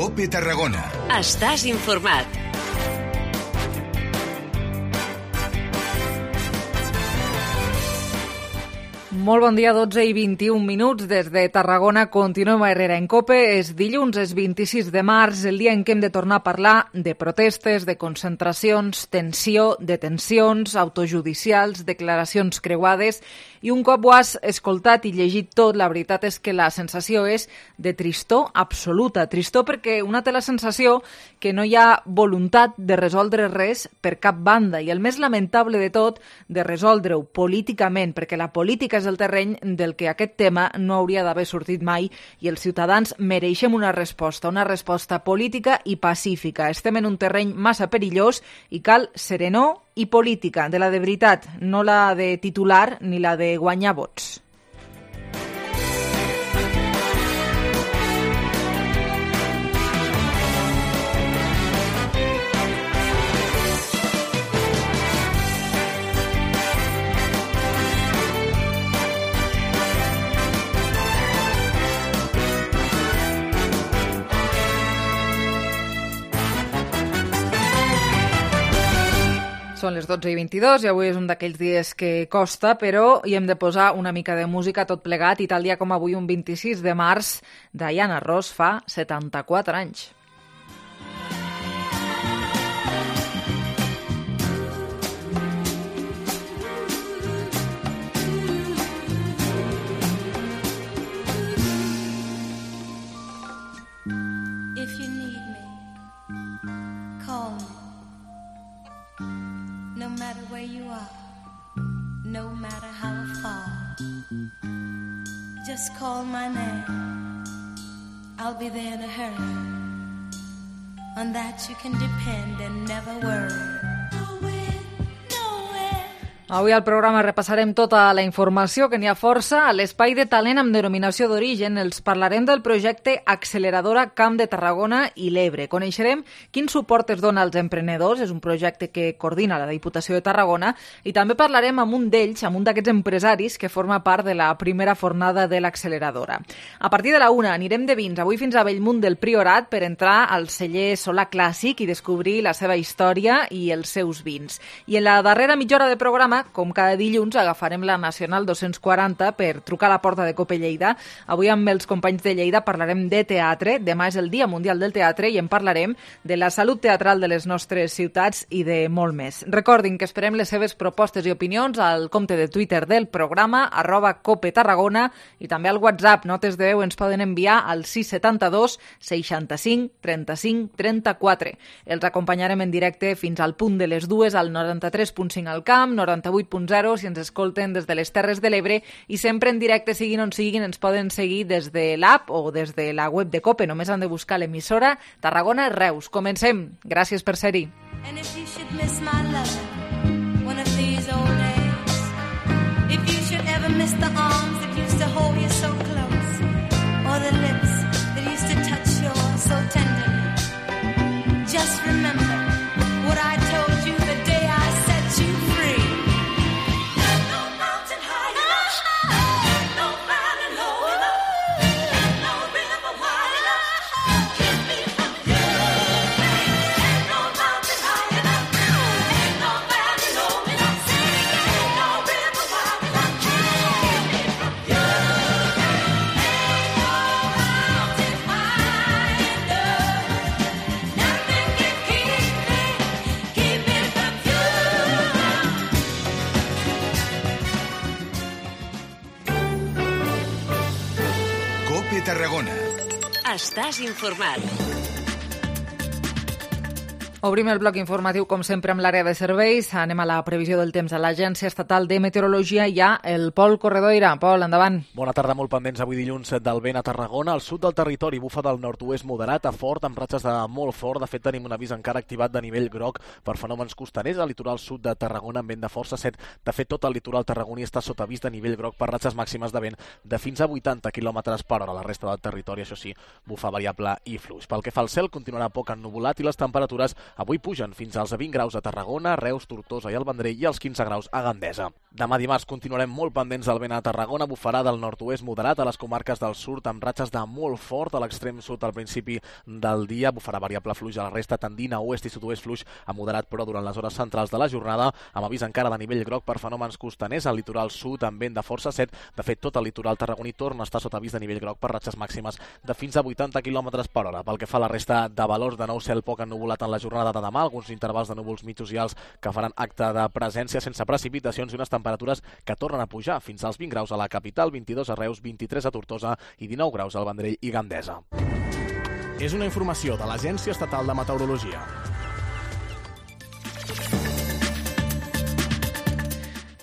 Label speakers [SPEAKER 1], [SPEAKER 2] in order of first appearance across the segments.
[SPEAKER 1] COPE Tarragona.
[SPEAKER 2] Estàs informat.
[SPEAKER 3] Molt bon dia, 12 i 21 minuts. Des de Tarragona continuem a Herrera en COPE. És dilluns, és 26 de març, el dia en què hem de tornar a parlar de protestes, de concentracions, tensió, detencions, autojudicials, declaracions creuades. I un cop ho has escoltat i llegit tot, la veritat és que la sensació és de tristor absoluta. Tristor perquè una té la sensació que no hi ha voluntat de resoldre res per cap banda. I el més lamentable de tot, de resoldre-ho políticament, perquè la política és el terreny del que aquest tema no hauria d'haver sortit mai i els ciutadans mereixem una resposta política i pacífica. Estem en un terreny massa perillós i cal serenor i política, de la de veritat, no la de titular ni la de guanyar vots. Són les 12 i 22 i avui és un d'aquells dies que costa, però hi hem de posar una mica de música tot plegat i tal dia com avui, un 26 de març, Diana Ross fa 74 anys.
[SPEAKER 4] Just call my name, I'll be there in a hurry. On that you can depend and never worry.
[SPEAKER 3] Avui al programa repassarem tota la informació, que n'hi ha força. A l'Espai de Talent amb denominació d'origen els parlarem del projecte Acceleradora Camp de Tarragona i l'Ebre. Coneixerem quin suport es dona als emprenedors, és un projecte que coordina la Diputació de Tarragona, i també parlarem amb un d'ells, amb un d'aquests empresaris que forma part de la primera fornada de l'Acceleradora. A partir de la 1 anirem de vins, avui fins a Bellmunt del Priorat, per entrar al celler Solà Clàssic i descobrir la seva història i els seus vins. I en la darrera mitja hora de programa, com cada dilluns, agafarem la Nacional 240 per trucar a la porta de COPE Lleida. Avui amb els companys de Lleida parlarem de teatre. Demà és el Dia Mundial del Teatre i en parlarem de la salut teatral de les nostres ciutats i de molt més. Recordin que esperem les seves propostes i opinions al compte de Twitter del programa, @COPETarragona, i també al WhatsApp. Notes de veu ens poden enviar al 672 65 35 34. Els acompanyarem en directe fins al punt de les 2 al 93.5 al Camp, 98.0 si ens escolten des de les Terres de l'Ebre, i sempre en directe, siguin on siguin, ens poden seguir des de l'app o des de la web de COPE. Només han de buscar l'emissora Tarragona Reus. Comencem. Gràcies per ser-hi. And if you should miss my love one of these old days, if you should ever miss the arms that used to hold you so close, or the lips that used to touch yours so tenderly, just remember what I told you the day I set you free.
[SPEAKER 1] COPE Tarragona.
[SPEAKER 2] Estàs informat.
[SPEAKER 3] Obrim el bloc informatiu, com sempre, amb l'àrea de serveis. Anem a la previsió del temps a l'Agència Estatal de Meteorologia. Hi ha el Pol Corredoira. Pol, endavant.
[SPEAKER 5] Bona tarda, molt pendents avui dilluns del vent a Tarragona. Al sud del territori bufa del nord-oest moderat a fort, amb ratxes de molt fort. De fet, tenim un avís encara activat de nivell groc per fenòmens costaners al litoral sud de Tarragona amb vent de força 7. De fet, tot el litoral tarragoní està sota avís de nivell groc per ratxes màximes de vent de fins a 80 km per hora. La resta del territori, això sí, bufa variable i fluix. Pel que fa al cel, continuarà poc ennuvolat i les temperatures Avui pugen fins als 20 graus a Tarragona, Reus, Tortosa i el Vendrell i als 15 graus a Gandesa. Demà dimarts continuarem molt pendents del vent a Tarragona, bufarà del nord-oest moderat a les comarques del sud amb ratxes de molt fort a l'extrem sud al principi del dia, bufarà variable fluix a la resta tendint a oest i sud-oest fluix a moderat però durant les hores centrals de la jornada, amb avís encara de nivell groc per fenòmens costaners al litoral sud amb vent de força 7. De fet, tot el litoral tarragoní torna a estar sota avís de nivell groc per ratxes màximes de fins a 80 km per hora. Pel que fa a la resta de valors, de nou cel poc ennuvolat en la jornada de demà, alguns intervals de núvols mitjos i alts que faran acte de presència sense precipitacions i unes temperatures que tornen a pujar fins als 20 graus a la capital, 22 a Reus, 23 a Tortosa i 19 graus al Vendrell i Gandesa.
[SPEAKER 1] És una informació de l'Agència Estatal de Meteorologia.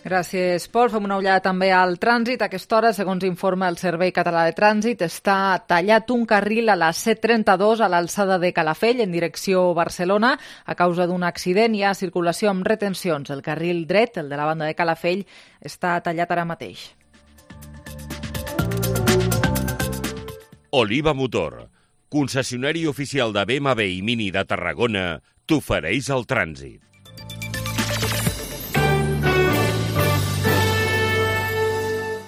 [SPEAKER 3] Gràcies, Pol. Fem una ullada també al trànsit. A aquesta hora, segons informa el Servei Català de Trànsit, està tallat un carril a la C32 a l'alçada de Calafell en direcció Barcelona a causa d'un accident. Hi ha circulació amb retencions. El carril dret, el de la banda de Calafell, està tallat ara mateix.
[SPEAKER 6] Oliva Motor, concessionari oficial de BMW i Mini de Tarragona, t'ofereix el trànsit.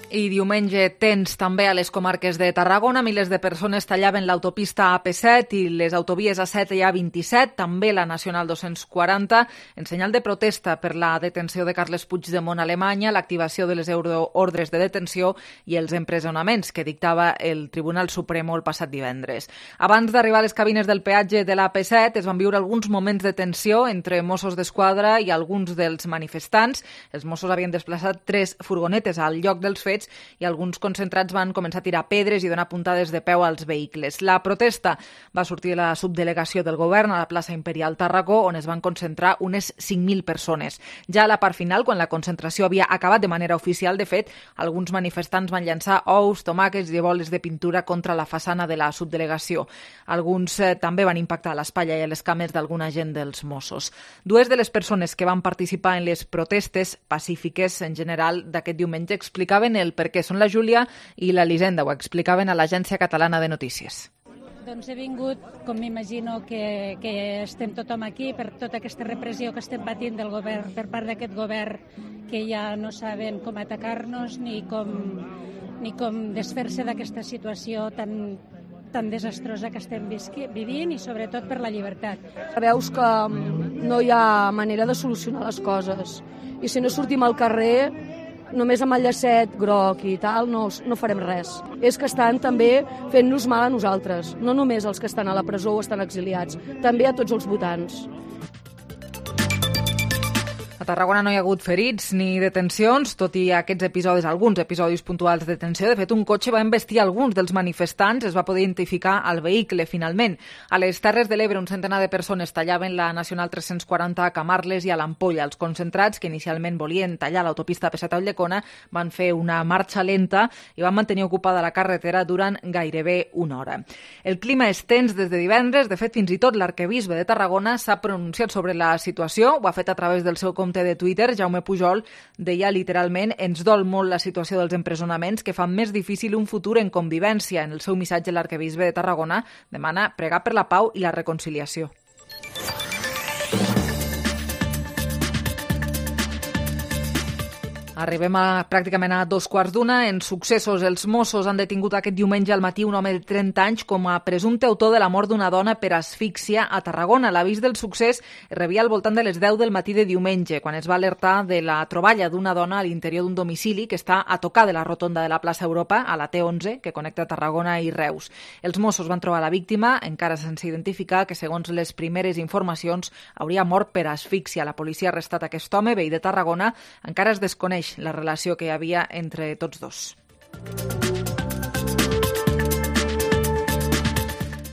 [SPEAKER 3] I diumenge tens també a les comarques de Tarragona. Milers de persones tallaven l'autopista AP7 i les autovies A7 i A27, també la Nacional 240, en senyal de protesta per la detenció de Carles Puigdemont a Alemanya, l'activació de les ordres de detenció i els empresonaments que dictava el Tribunal Suprem el passat divendres. Abans d'arribar a les cabines del peatge de l'AP7 es van viure alguns moments de tensió entre Mossos d'Esquadra i alguns dels manifestants. Els Mossos havien desplaçat 3 furgonetes al lloc dels fets i alguns concentrats van començar a tirar pedres i donar puntades de peu als vehicles. La protesta va sortir de la subdelegació del govern a la plaça Imperial Tàrraco, on es van concentrar unes 5.000 persones. Ja a la part final, quan la concentració havia acabat de manera oficial, de fet, alguns manifestants van llançar ous, tomàquets i boles de pintura contra la façana de la subdelegació. Alguns també van impactar a l'espatlla i a les cames d'algun agent dels Mossos. Dues de les persones que van participar en les protestes pacífiques en general d'aquest diumenge explicaven el perquè són la Júlia i l'Elisenda, ho explicaven a l'Agència Catalana de Notícies.
[SPEAKER 7] Doncs he vingut, com m'imagino que estem tothom aquí, per tota aquesta repressió que estem patint del govern, per part d'aquest govern, que ja no saben com atacar-nos ni com desfer-se d'aquesta situació tan desastrosa que estem vivint i sobretot per la llibertat.
[SPEAKER 8] Veus que no hi ha manera de solucionar les coses i si no sortim al carrer només amb el llacet groc i tal no farem res. És que estan també fent-nos mal a nosaltres, no només els que estan a la presó o estan exiliats, també a tots els votants.
[SPEAKER 3] A Tarragona no hi ha hagut ferits ni detencions, tot i aquests episodis, alguns episodis puntuals de detenció. De fet, un cotxe va embestir alguns dels manifestants, es va poder identificar el vehicle finalment. A les Terres de l'Ebre, un centenar de persones tallaven la Nacional 340 a Camarles i a l'Ampolla. Els concentrats, que inicialment volien tallar l'autopista AP7 a Ulldecona, van fer una marxa lenta i van mantenir ocupada la carretera durant gairebé una hora. El clima és tens des de divendres. De fet, fins i tot l'arquebisbe de Tarragona s'ha pronunciat sobre la situació. Ho ha fet a través del seu compte de Twitter. Jaume Pujol deia literalment: ens dol molt la situació dels empresonaments que fan més difícil un futur en convivència. En el seu missatge, l'arquebisbe de Tarragona demana pregar per la pau i la reconciliació. Arribem pràcticament a 2:15. En successos, els Mossos han detingut aquest diumenge al matí un home de 30 anys com a presumpte autor de la mort d'una dona per asfíxia a Tarragona. L'avís del succés es rebia al voltant de les 10 del matí de diumenge, quan es va alertar de la troballa d'una dona a l'interior d'un domicili que està a tocar de la rotonda de la plaça Europa, a la T11, que connecta Tarragona i Reus. Els Mossos van trobar la víctima, encara sense identificar, que segons les primeres informacions hauria mort per asfíxia. La policia ha arrestat aquest home, veí de Tarragona. Encara es desconeix la relació que hi havia entre tots dos.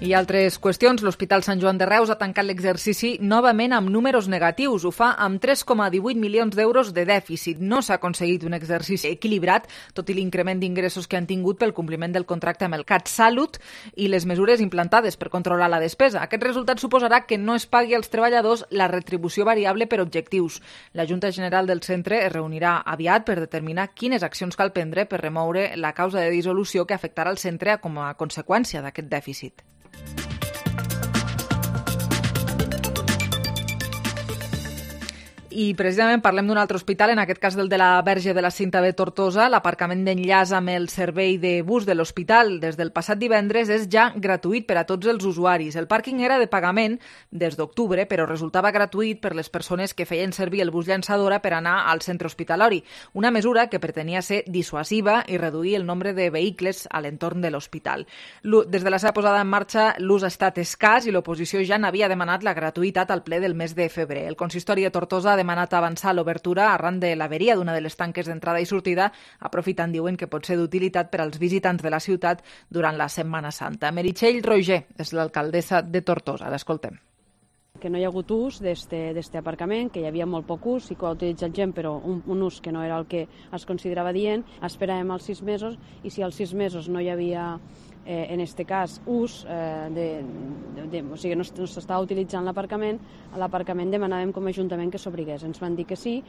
[SPEAKER 3] I altres qüestions. L'Hospital Sant Joan de Reus ha tancat l'exercici novament amb números negatius. Ho fa amb 3,18 milions d'euros de dèficit. No s'ha aconseguit un exercici equilibrat, tot i l'increment d'ingressos que han tingut pel compliment del contracte amb el CatSalut i les mesures implantades per controlar la despesa. Aquest resultat suposarà que no es pagui als treballadors la retribució variable per objectius. La Junta General del centre es reunirà aviat per determinar quines accions cal prendre per remoure la causa de dissolució que afectarà el centre com a conseqüència d'aquest dèficit. I precisament parlem d'un altre hospital, en aquest cas del de la Verge de la Cinta de Tortosa. L'aparcament d'enllaç amb el servei de bus de l'hospital des del passat divendres és ja gratuït per a tots els usuaris. El pàrquing era de pagament des d'octubre, però resultava gratuït per les persones que feien servir el bus llançadora per anar al centre hospitalari. Una mesura que pretenia ser dissuasiva i reduir el nombre de vehicles a l'entorn de l'hospital. Des de la seva posada en marxa, l'ús ha estat escàs i l'oposició ja n'havia demanat la gratuïtat al ple del mes de febrer. El consistori de Tortosa ha demanat avançar l'obertura arran de l'averia d'una de les tanques d'entrada i sortida, aprofitant, diuen, que pot ser d'utilitat per als visitants de la ciutat durant la Setmana Santa. Meritxell Roger és l'alcaldessa de Tortosa. L'escoltem.
[SPEAKER 9] Que no hi ha hagut ús d'este aparcament, que hi havia molt poc ús, i que ho ha utilitzat gent, però un ús que no era el que es considerava dient. Esperàvem els 6 mesos, i si als 6 mesos no hi havia, en este cas, ús, o sigui, no s'estava utilitzant l'aparcament demanàvem com a Ajuntament que s'obrigués. Ens van dir que sí.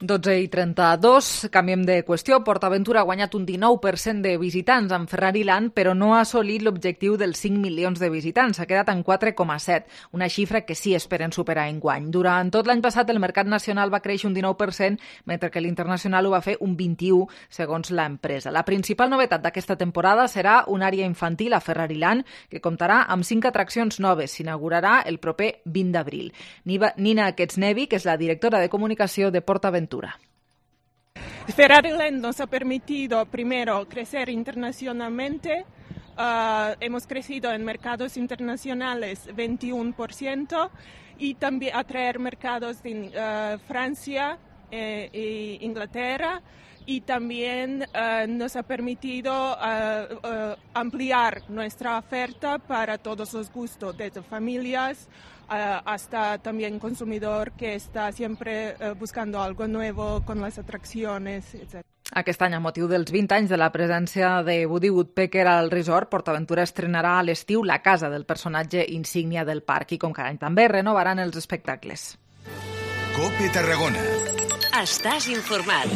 [SPEAKER 3] i 32, canviem de qüestió. PortAventura ha guanyat un 19% de visitants amb Ferrari Land, però no ha assolit l'objectiu dels 5 milions de visitants. S'ha quedat en 4,7, una xifra que sí esperen superar enguany. Durant tot l'any passat, el mercat nacional va créixer un 19%, mentre que l'internacional ho va fer un 21%, segons l'empresa. La principal novetat d'aquesta temporada serà una àrea infantil a Ferrari Land, que comptarà amb 5 atraccions noves. S'inaugurarà el proper 20 d'abril. Nina Ketsnevi, que és la directora de comunicació de PortAventura.
[SPEAKER 10] Ferrari Land nos ha permitido, primero, crecer internacionalmente. Hemos crecido en mercados internacionales 21% y también atraer mercados de Francia e Inglaterra. Y también nos ha permitido ampliar nuestra oferta para todos los gustos, desde familias hasta también consumidor que está siempre buscando algo nuevo con las atracciones, etc.
[SPEAKER 3] Aquest any, a motiu dels 20 anys de la presència de Woody Woodpecker al resort, PortAventura estrenarà a l'estiu la casa del personatge insígnia del parc i, com cada any també, renovaran els espectacles.
[SPEAKER 11] COPE Tarragona.
[SPEAKER 2] Estàs informat.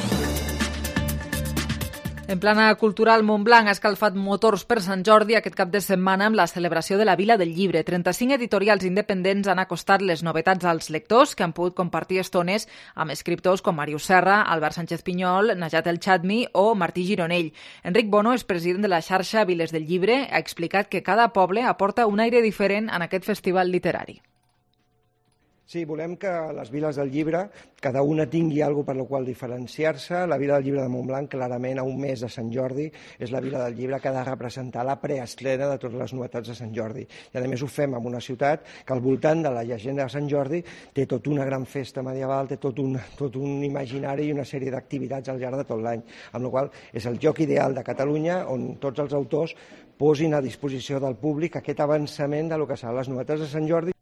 [SPEAKER 3] En plana cultural, Montblanc ha escalfat motors per Sant Jordi aquest cap de setmana amb la celebració de la Vila del Llibre. 35 editorials independents han acostat les novetats als lectors, que han pogut compartir estones amb escriptors com Màrius Serra, Albert Sánchez Pinyol, Najat El Chadmi o Martí Gironell. Enric Bono és president de la xarxa Viles del Llibre. Ha explicat que cada poble aporta un aire diferent en aquest festival literari.
[SPEAKER 12] Sí, volem que les viles del llibre, cada una tingui alguna per la qual diferenciar-se. La Vila del Llibre de Montblanc, clarament, a un mes de Sant Jordi, és la Vila del Llibre que ha de representar la preestrena de totes les novetats de Sant Jordi. I, a més, ho fem en una ciutat que al voltant de la llegenda de Sant Jordi té tota una gran festa medieval, té tot un imaginari i una sèrie d'activitats al llarg de tot l'any. Amb la qual cosa és el lloc ideal de Catalunya on tots els autors posin a disposició del públic aquest avançament de lo que seran les novetats de Sant Jordi.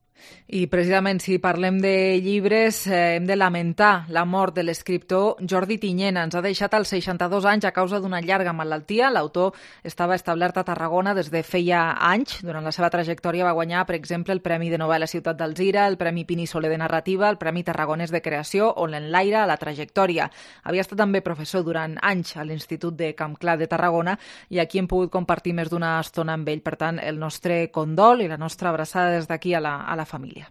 [SPEAKER 3] I precisament si parlem de llibres hem de lamentar la mort de l'escriptor Jordi Tiñena. Ens ha deixat als 62 anys a causa d'una llarga malaltia. L'autor estava establert a Tarragona des de feia anys. Durant la seva trajectòria va guanyar, per exemple, el Premi de Novel·la Ciutat d'Alzira, el Premi Pini Soler de Narrativa, el Premi Tarragonès de Creació o l'Enlaire a la trajectòria. Havia estat també professor durant anys a l'Institut de Campclar de Tarragona i aquí hem pogut compartir més d'una estona amb ell. Per tant, el nostre condol i la nostra abraçada des d'aquí a la família.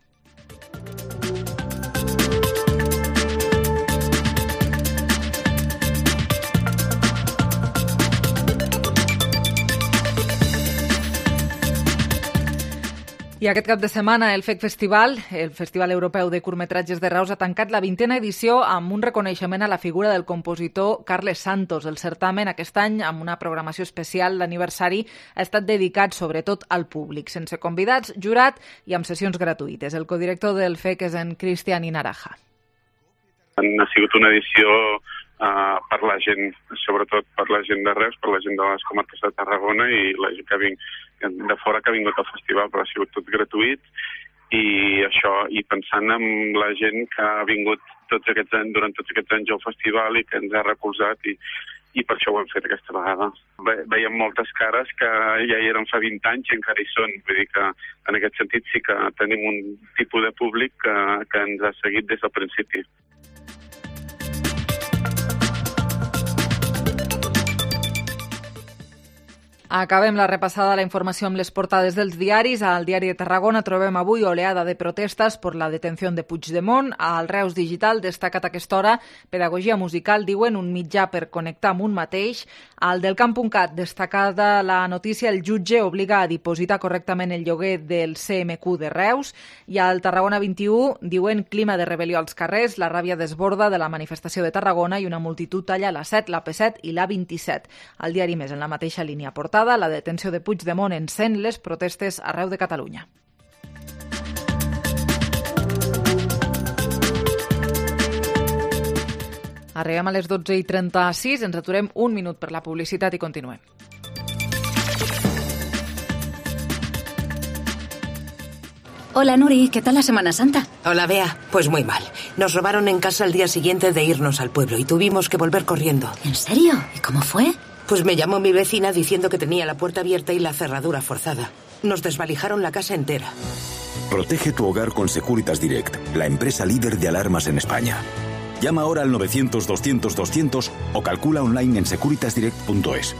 [SPEAKER 3] I aquest cap de setmana el FEC Festival, el Festival Europeu de Curtmetratges de Reus, ha tancat la 20a edició amb un reconeixement a la figura del compositor Carles Santos. El certamen aquest any, amb una programació especial d'aniversari, ha estat dedicat sobretot al públic, sense convidats, jurat i amb sessions gratuïtes. El codirector del FEC és en Cristian Inaraja.
[SPEAKER 13] Ha sigut una edició per la gent, sobretot per la gent de Reus, per la gent de les comarques de Tarragona i la gent de fora que ha vingut al festival, però ha sigut tot gratuït i això, i pensant en la gent que ha vingut durant tots aquests anys al festival i que ens ha recolzat i per això ho hem fet aquesta vegada. Veiem moltes cares que ja hi eren fa 20 anys i encara hi són, vull dir que en aquest sentit sí que tenim un tipus de públic que ens ha seguit des del principi.
[SPEAKER 3] Acabem la repassada de la informació amb les portades dels diaris. Al Diari de Tarragona trobem avui oleada de protestes per la detenció de Puigdemont. Al Reus Digital, destacat a aquesta hora, pedagogia musical, diuen, un mitjà per connectar amb un mateix. Al del Camp.cat, destacada la notícia, el jutge obliga a dipositar correctament el lloguer del CMQ de Reus. I al Tarragona 21 diuen clima de rebel·lió als carrers, la ràbia desborda de la manifestació de Tarragona i una multitud talla la 7, la P7 i la 27. Al Diari Més, en la mateixa línia portada, la detenció de Puigdemont encén les protestes arreu de Catalunya. Arribem a les 12:36, ens aturem un minut per la publicitat i continuem.
[SPEAKER 14] Hola Nuri, ¿qué tal la Semana Santa?
[SPEAKER 15] Hola Bea, pues muy mal. Nos robaron en casa el día siguiente de irnos al pueblo y tuvimos que volver corriendo.
[SPEAKER 14] ¿En serio? ¿Y cómo fue?
[SPEAKER 15] Pues me llamó mi vecina diciendo que tenía la puerta abierta y la cerradura forzada. Nos desvalijaron la casa entera.
[SPEAKER 16] Protege tu hogar con Securitas Direct, la empresa líder de alarmas en España. Llama ahora al 900-200-200 o calcula online en securitasdirect.es.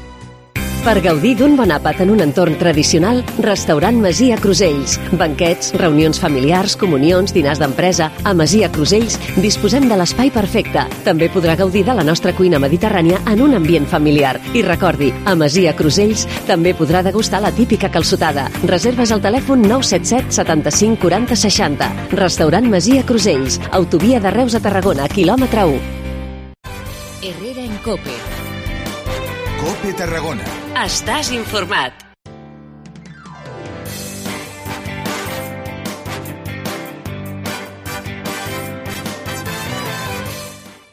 [SPEAKER 17] Per gaudir d'un bon àpat en un entorn tradicional, Restaurant Masia Crusells. Banquets, reunions familiars, comunions, dinars d'empresa. A Masia Crusells disposem de l'espai perfecte. També podrà gaudir de la nostra cuina mediterrània en un ambient familiar. I recordi, a Masia Crusells també podrà degustar la típica calçotada. Reserves al telèfon 977 75 40 60. Restaurant Masia Crusells. Autovia de Reus a Tarragona, quilòmetre 1.
[SPEAKER 2] Herrera en COPE.
[SPEAKER 11] COPE Tarragona.
[SPEAKER 2] Estàs informat.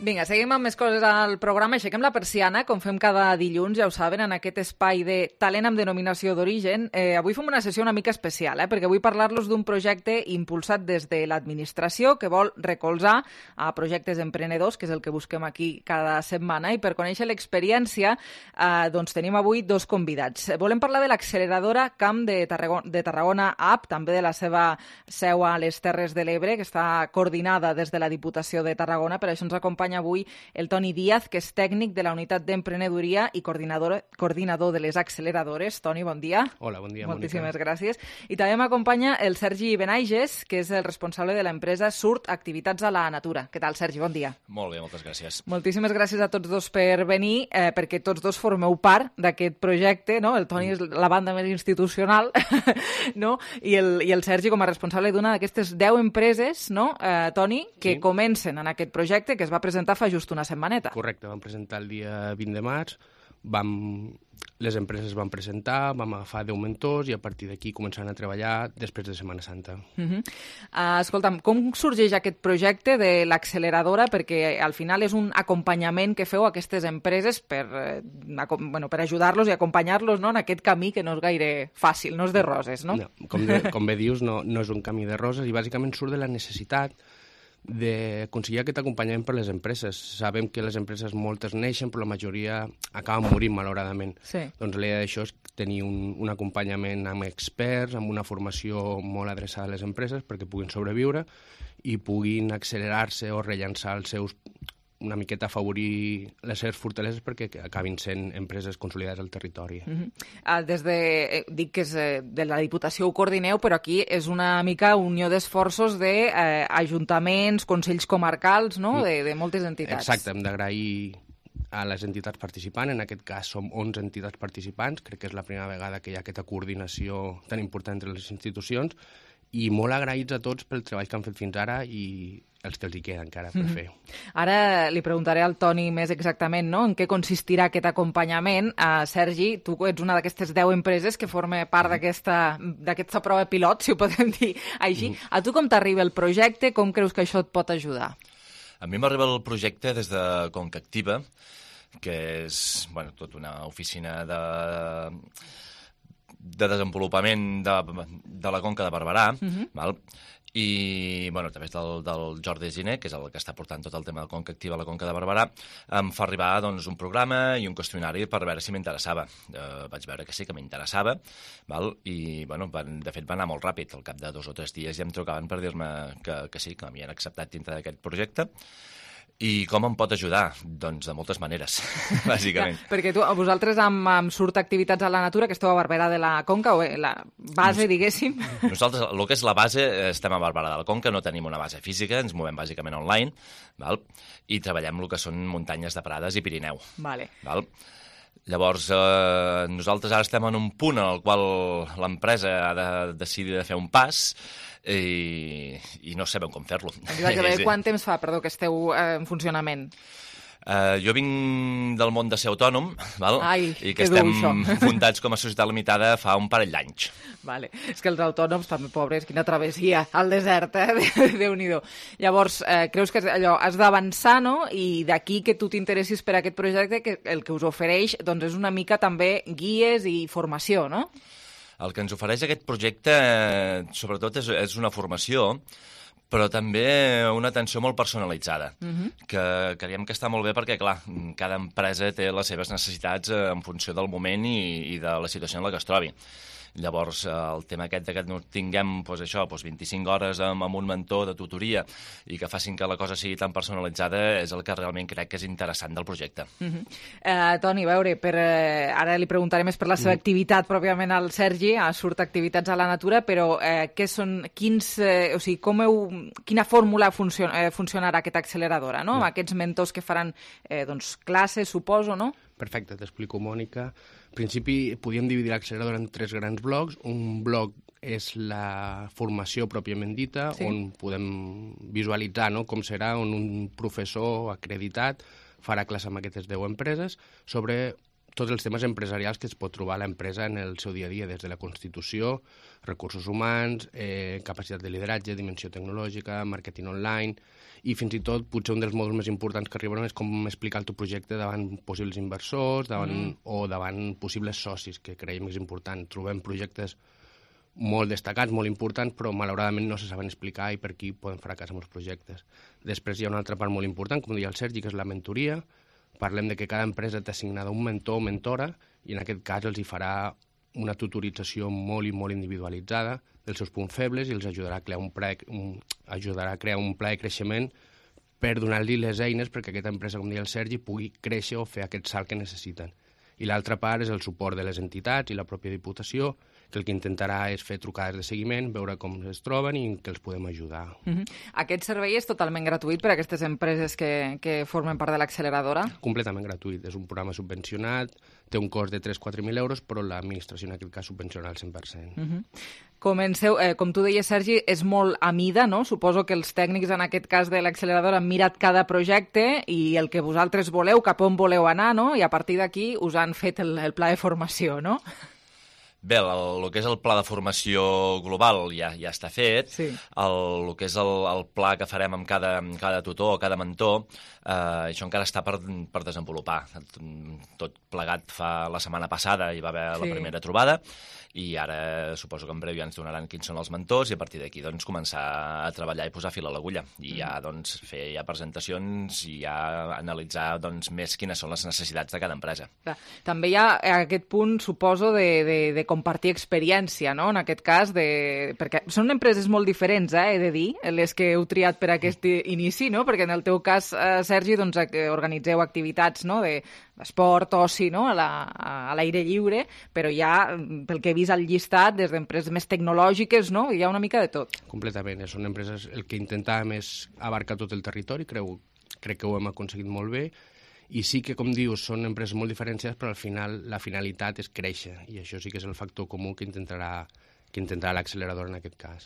[SPEAKER 3] Vinga, seguim amb més coses al programa. Aixequem la persiana, com fem cada dilluns, ja ho saben, en aquest espai de talent amb denominació d'origen. Avui fem una sessió una mica especial, perquè vull parlar-los d'un projecte impulsat des de l'administració que vol recolzar a projectes emprenedors, que és el que busquem aquí cada setmana. I per conèixer l'experiència, doncs tenim avui dos convidats. Volem parlar de l'acceleradora Camp de Tarragona App, també de la seva seu a les Terres de l'Ebre, que està coordinada des de la Diputació de Tarragona. Per això ens acompanya avui el Toni Díaz, que és tècnic de la unitat d'emprenedoria i coordinador de les acceleradores. Toni, bon dia.
[SPEAKER 18] Hola, bon dia,
[SPEAKER 3] moltíssimes gràcies. I també m'acompanya el Sergi Benaiges, que és el responsable de l'empresa Surt Activitats a la Natura. Què tal, Sergi? Bon dia.
[SPEAKER 19] Molt bé, moltes gràcies.
[SPEAKER 3] Moltíssimes gràcies a tots dos per venir, perquè tots dos formeu part d'aquest projecte, no? El Toni és la banda més institucional, no? I el Sergi com a responsable d'una d'aquestes 10 empreses, no, Toni, que comencen en aquest projecte, que es va presentar fa just una setmaneta.
[SPEAKER 18] Correcte, vam presentar el dia 20 de març, les empreses van presentar, vam agafar 10 mentors i a partir d'aquí començaran a treballar després de Setmana Santa.
[SPEAKER 3] Escolta'm, com sorgeix aquest projecte de l'acceleradora? Perquè al final és un acompanyament que feu a aquestes empreses per ajudar-los i acompanyar-los, no, en aquest camí que no és gaire fàcil, no és de roses, no?
[SPEAKER 18] No, com bé dius, no és un camí de roses i bàsicament surt de la necessitat d'aconseguir aquest acompanyament per les empreses. Sabem que les empreses moltes neixen, però la majoria acaben morint, malauradament.
[SPEAKER 3] Sí.
[SPEAKER 18] Doncs l'idea d'això és tenir un acompanyament amb experts, amb una formació molt adreçada a les empreses perquè puguin sobreviure i puguin accelerar-se o rellançar els seus, una miqueta afavorir les seves fortaleses perquè acabin sent empreses consolidades al territori.
[SPEAKER 3] Dic que és de la Diputació ho coordineu, però aquí és una mica unió d'esforços d'ajuntaments, consells comarcals, no? De moltes entitats.
[SPEAKER 18] Exacte, hem d'agrair a les entitats participants, en aquest cas som 11 entitats participants, crec que és la primera vegada que hi ha aquesta coordinació tan important entre les institucions, i molt agraïts a tots pel treball que han fet fins ara i els que els hi queda encara per fer.
[SPEAKER 3] Ara li preguntaré al Toni més exactament, no?, en què consistirà aquest acompanyament. Sergi, tu ets una d'aquestes 10 empreses que forma part d'aquesta prova pilot, si ho podem dir així. A tu com t'arriba el projecte? Com creus que això et pot ajudar?
[SPEAKER 19] A mi m'arriba el projecte des de Conca Activa, que és tota una oficina de desenvolupament de la Conca de Barberà, val? I a través del Jordi Giner, que és el que està portant tot el tema de Conca Activa a la Conca de Barberà, em fa arribar un programa i un qüestionari per veure si m'interessava. Vaig veure que sí, que m'interessava, i de fet va anar molt ràpid. Al cap de 2 o 3 dies ja em trucaven per dir-me que sí, que m'havien acceptat dintre d'aquest projecte. I com em pot ajudar? Doncs de moltes maneres, bàsicament.
[SPEAKER 3] Perquè vosaltres amb Surt Activitats a la Natura, que esteu a Barberà de la Conca, o la base, diguéssim...
[SPEAKER 19] Nosaltres, el que és la base, estem a Barberà de la Conca, no tenim una base física, ens movem bàsicament online, val? I treballem el que són muntanyes de Prades i Pirineu.
[SPEAKER 3] Vale.
[SPEAKER 19] Val? Llavors, nosaltres ara estem en un punt en el qual l'empresa ha de decidir de fer un pas i no sabem com fer-lo.
[SPEAKER 3] Quant temps fa, perdó, que esteu en funcionament?
[SPEAKER 19] Jo vinc del món de ser autònom, val?
[SPEAKER 3] Ai,
[SPEAKER 19] i que estem fundats com a societat limitada fa un parell d'anys.
[SPEAKER 3] Vale. És que els autònoms, també pobres, quina travessia al desert, Déu-n'hi-do. Llavors, creus que allò has d'avançar, no? I d'aquí que tu t'interessis per aquest projecte, que el que us ofereix doncs, és una mica també guies i formació, no?
[SPEAKER 19] El que ens ofereix aquest projecte, sobretot, és una formació, però també una atenció molt personalitzada, que creiem que està molt bé perquè, clar, cada empresa té les seves necessitats en funció del moment i de la situació en la que es trobi. Llavors, el tema aquest que tinguem 25 hores amb un mentor de tutoria i que facin que la cosa sigui tan personalitzada és el que realment crec que és interessant del projecte.
[SPEAKER 3] Toni, a veure, ara li preguntaré més per la seva activitat pròpiament al Sergi, a Surt Activitats a la Natura, però quina fórmula funcionarà aquesta acceleradora, no? Amb aquests mentors que faran classes, suposo, no?
[SPEAKER 18] Perfecte, t'explico, Mònica. En principi, podíem dividir l'acceleradora en 3 grans blocs. Un bloc és la formació pròpiament dita, on podem visualitzar com serà, on un professor acreditat farà classe amb aquestes 10 empreses sobre tots els temes empresarials que es pot trobar l'empresa en el seu dia a dia, des de la Constitució, recursos humans, capacitat de lideratge, dimensió tecnològica, màrqueting online, i fins i tot potser un dels mòduls més importants que arribaran és com explicar el teu projecte davant possibles inversors o davant possibles socis, que creiem que és important. Trobem projectes molt destacats, molt importants, però malauradament no se saben explicar i per aquí poden fracassar molts projectes. Després hi ha una altra part molt important, com deia el Sergi, que és la mentoria. Parlem de que cada empresa té assignada un mentor o mentora i en aquest cas els hi farà una tutorització molt i molt individualitzada dels seus punts febles i els ajudarà a crear un pla de creixement per donar-li les eines perquè aquesta empresa, com deia el Sergi, pugui créixer o fer aquest salt que necessiten. I l'altra part és el suport de les entitats i la pròpia Diputació, que el que intentarà és fer trucades de seguiment, veure com es troben i que els podem ajudar.
[SPEAKER 3] Aquest servei és totalment gratuït per a aquestes empreses que formen part de l'acceleradora?
[SPEAKER 18] Completament gratuït. És un programa subvencionat, té un cost de 3.000-4.000 euros, però l'administració en aquest cas subvenciona el 100%.
[SPEAKER 3] Comenceu, com tu deies, Sergi, és molt a mida, no? Suposo que els tècnics, en aquest cas de l'acceleradora, han mirat cada projecte i el que vosaltres voleu, cap on voleu anar, no? I a partir d'aquí us han fet el pla de formació, no?
[SPEAKER 19] Bé, el que és el pla de formació global ja està fet.
[SPEAKER 3] Sí.
[SPEAKER 19] El que és el pla que farem amb cada tutor o cada mentor, això encara està per desenvolupar. Tot plegat la setmana passada hi va haver la primera trobada i ara suposo que en breu ja ens donaran quins són els mentors i a partir d'aquí doncs, començar a treballar i posar fil a l'agulla i ja doncs, fer presentacions i ja analitzar doncs, més quines són les necessitats de cada empresa.
[SPEAKER 3] També hi ha aquest punt, suposo, de compartir experiència, no? En aquest cas, perquè són empreses molt diferents, he de dir, les que heu triat per aquest inici, no? Perquè en el teu cas, Sergi, doncs, organitzeu activitats, no? d'esport, oci, no? a l'aire lliure, però ja, pel que he vist al llistat, des d'empreses més tecnològiques, no? Hi ha una mica de tot.
[SPEAKER 18] Completament. Són empreses, el que intentàvem és abarcar tot el territori, crec que ho hem aconseguit molt bé, i sí que, com dius, són empreses molt diferenciades, però al final la finalitat és créixer, i això sí que és el factor comú que intentarà l'accelerador en aquest cas.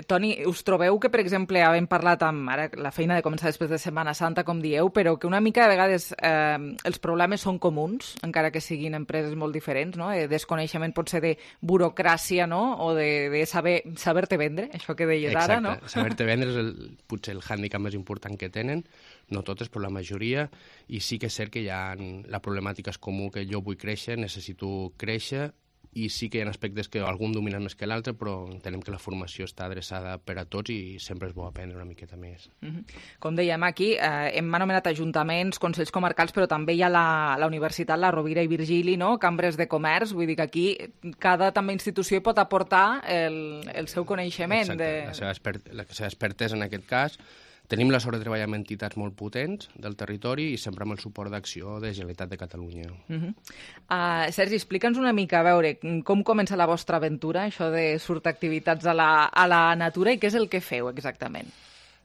[SPEAKER 3] Toni, us trobeu que, per exemple, havent parlat amb ara la feina de començar després de Setmana Santa, com dieu, però que una mica de vegades els problemes són comuns, encara que siguin empreses molt diferents, no? Desconeixement pot ser de burocràcia, no? O de saber-te vendre, això que deies ara, no?
[SPEAKER 18] Exacte, saber-te vendre és potser el hàndicap més important que tenen, no totes, però la majoria, i sí que és cert que la problemàtica és comú, que jo vull créixer, necessito créixer, i sí que hi ha aspectes que algun domina més que l'altre, però entenem que la formació està adreçada per a tots i sempre és bo aprendre una miqueta més.
[SPEAKER 3] Com dèiem aquí, hem anomenat ajuntaments, consells comarcals, però també hi ha la universitat, la Rovira i Virgili, no? Cambres de comerç, vull dir que aquí cada també institució pot aportar el seu coneixement.
[SPEAKER 18] Exacte, la seva expertesa en aquest cas. Tenim la sort de treballar amb entitats molt potents del territori i sempre amb el suport d'acció de Generalitat de Catalunya.
[SPEAKER 3] Sergi, explica'ns una mica, a veure, com comença la vostra aventura, això de surt activitats a la natura, i què és el que feu exactament?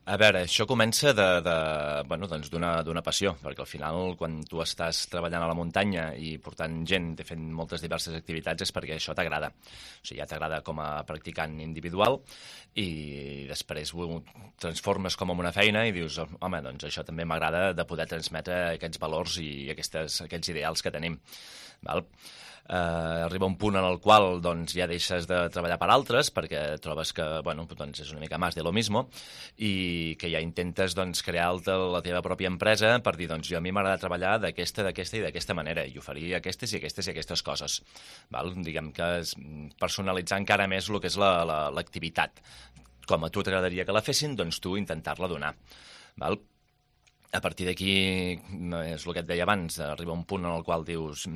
[SPEAKER 19] A veure, això comença d'una passió, perquè al final, quan tu estàs treballant a la muntanya i portant gent, fent moltes diverses activitats, és perquè això t'agrada. O sigui, ja t'agrada com a practicant individual i després ho transformes com en una feina i dius, home, doncs això també m'agrada de poder transmetre aquests valors i aquests ideals que tenim. Val? Arriba un punt en el qual doncs, ja deixes de treballar per altres perquè trobes que doncs, és una mica més de lo mismo i que ja intentes doncs, crear la teva pròpia empresa per dir, doncs, a mi m'agrada treballar d'aquesta i d'aquesta manera i oferir aquestes i aquestes coses. Val? Diguem que és personalitzar encara més el que és l'activitat. Com a tu t'agradaria que la fessin, doncs tu intentar-la donar. Val? A partir d'aquí, és el que et deia abans, arriba un punt en el qual dius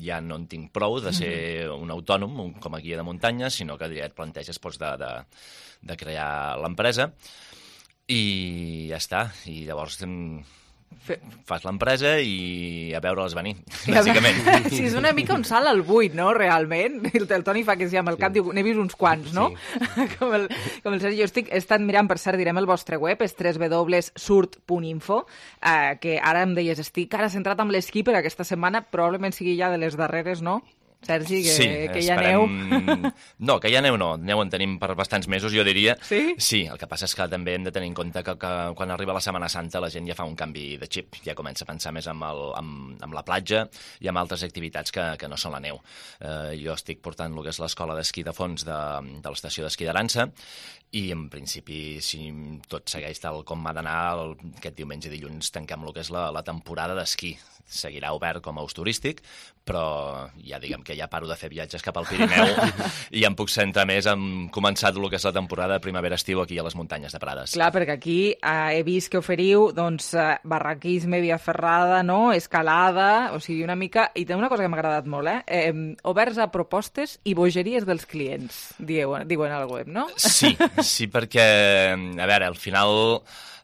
[SPEAKER 19] ja no en tinc prou de ser un autònom, com a guia de muntanya, sinó que ja et planteges de crear l'empresa i ja està. I llavors fas l'empresa i a veure-les venir, bàsicament.
[SPEAKER 3] Sí, és una mica un salt al buit, no?, realment. El Toni fa que sí amb el cap, diu, n'he vist uns quants, no? Sí. com el Sergi. Jo he estat mirant, per cert, direm el vostre web, és www.surt.info, que ara em deies, estic ara centrat amb l'esquí per aquesta setmana, probablement sigui ja de les darreres, no? Sergi, que ja aneu...
[SPEAKER 19] No, que ja aneu no. Aneu en tenim per bastants mesos, jo diria.
[SPEAKER 3] Sí?
[SPEAKER 19] Sí, el que passa és que també hem de tenir en compte que quan arriba la Setmana Santa la gent ja fa un canvi de xip, ja comença a pensar més en la platja i en altres activitats que no són la neu. Jo estic portant el que és l'escola d'esquí de fons de l'estació d'esquí d'Aransa i, en principi, si tot segueix tal com ha d'anar, aquest diumenge i dilluns tanquem el que és la temporada d'esquí. Seguirà obert com a ús turístic, però ja diguem que ja paro de fer viatges cap al Pirineu i ja em puc centrar més en començat el que és la temporada primavera-estiu aquí a les muntanyes de Prades.
[SPEAKER 3] Clar, perquè aquí he vist que oferiu barraquisme, via ferrada, no? Escalada, o sigui, una mica... I té una cosa que m'ha agradat molt, oberts a propostes i bogeries dels clients, diuen al web, no?
[SPEAKER 19] Sí, perquè, a veure, al final...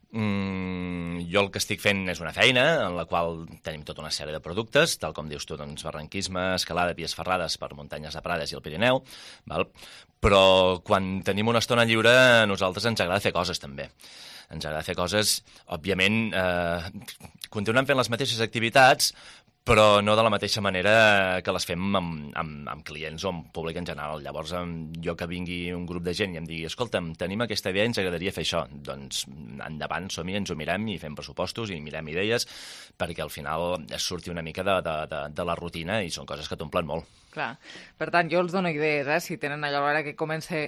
[SPEAKER 19] jo el que estic fent és una feina en la qual tenim tota una sèrie de productes, tal com dius tu, doncs, barranquisme, escalada, vies ferrades per muntanyes de Prades i el Pirineu, val? Però quan tenim una estona lliure a nosaltres ens agrada fer coses també. Ens agrada fer coses, òbviament, continuem fent les mateixes activitats, però no de la mateixa manera que les fem amb clients o amb públic en general. Llavors, jo que vingui un grup de gent i em digui, escolta'm, tenim aquesta idea i ens agradaria fer això, doncs endavant, som-hi, ens ho mirem i fem pressupostos i mirem idees, perquè al final es surti una mica de la rutina i són coses que t'omplen molt.
[SPEAKER 3] Clar. Per tant, jo els dono idees, si tenen allò a l'hora que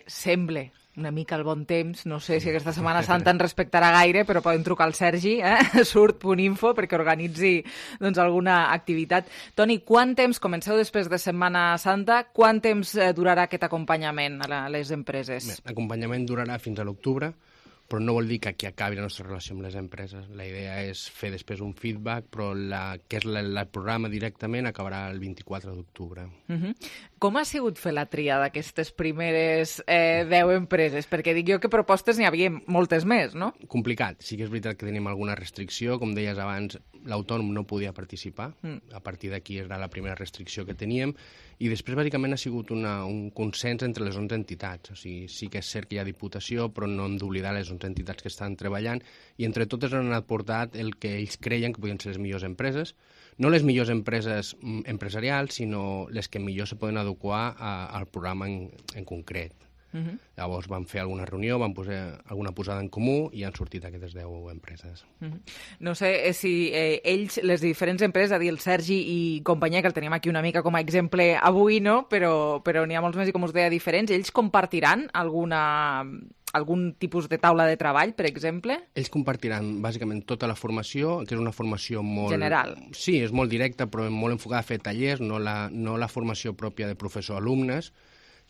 [SPEAKER 3] sembla una mica el bon temps, no sé si aquesta Setmana Santa en respectarà gaire, però poden trucar al Sergi, surt.info, perquè organitzi alguna activitat. Toni, quant temps, comenceu després de Setmana Santa, quant temps durarà aquest acompanyament a les empreses?
[SPEAKER 18] L'acompanyament durarà fins a l'octubre, però no vol dir que aquí acabi la nostra relació amb les empreses. La idea és fer després un feedback, però el programa directament acabarà el 24 d'octubre.
[SPEAKER 3] Com ha sigut fer la tria d'aquestes primeres 10 empreses? Perquè dic jo que propostes n'hi havia moltes més, no?
[SPEAKER 18] Complicat. Sí que és veritat que tenim alguna restricció. Com deies abans, l'autònom no podia participar. A partir d'aquí era la primera restricció que teníem. I després, bàsicament, ha sigut un consens entre les 11 entitats. O sigui, sí que és cert que hi ha diputació, però no hem d'oblidar les 11 entitats que estan treballant, i entre totes han anat portat el que ells creien que podien ser les millors empreses. No les millors empreses empresarials, sinó les que millor se poden adequar al programa en concret. Llavors vam fer alguna reunió, vam posar alguna posada en comú i han sortit aquestes 10 empreses.
[SPEAKER 3] No sé si ells, les diferents empreses, a dir, el Sergi i companyia, que el tenim aquí una mica com a exemple avui, no? Però n'hi ha molts més i, com us deia, diferents. Ells compartiran algun tipus de taula de treball, per exemple?
[SPEAKER 18] Ells compartiran bàsicament tota la formació, que és una formació molt...
[SPEAKER 3] general.
[SPEAKER 18] Sí, és molt directa, però molt enfocada a fer tallers, no la formació pròpia de professor-alumnes,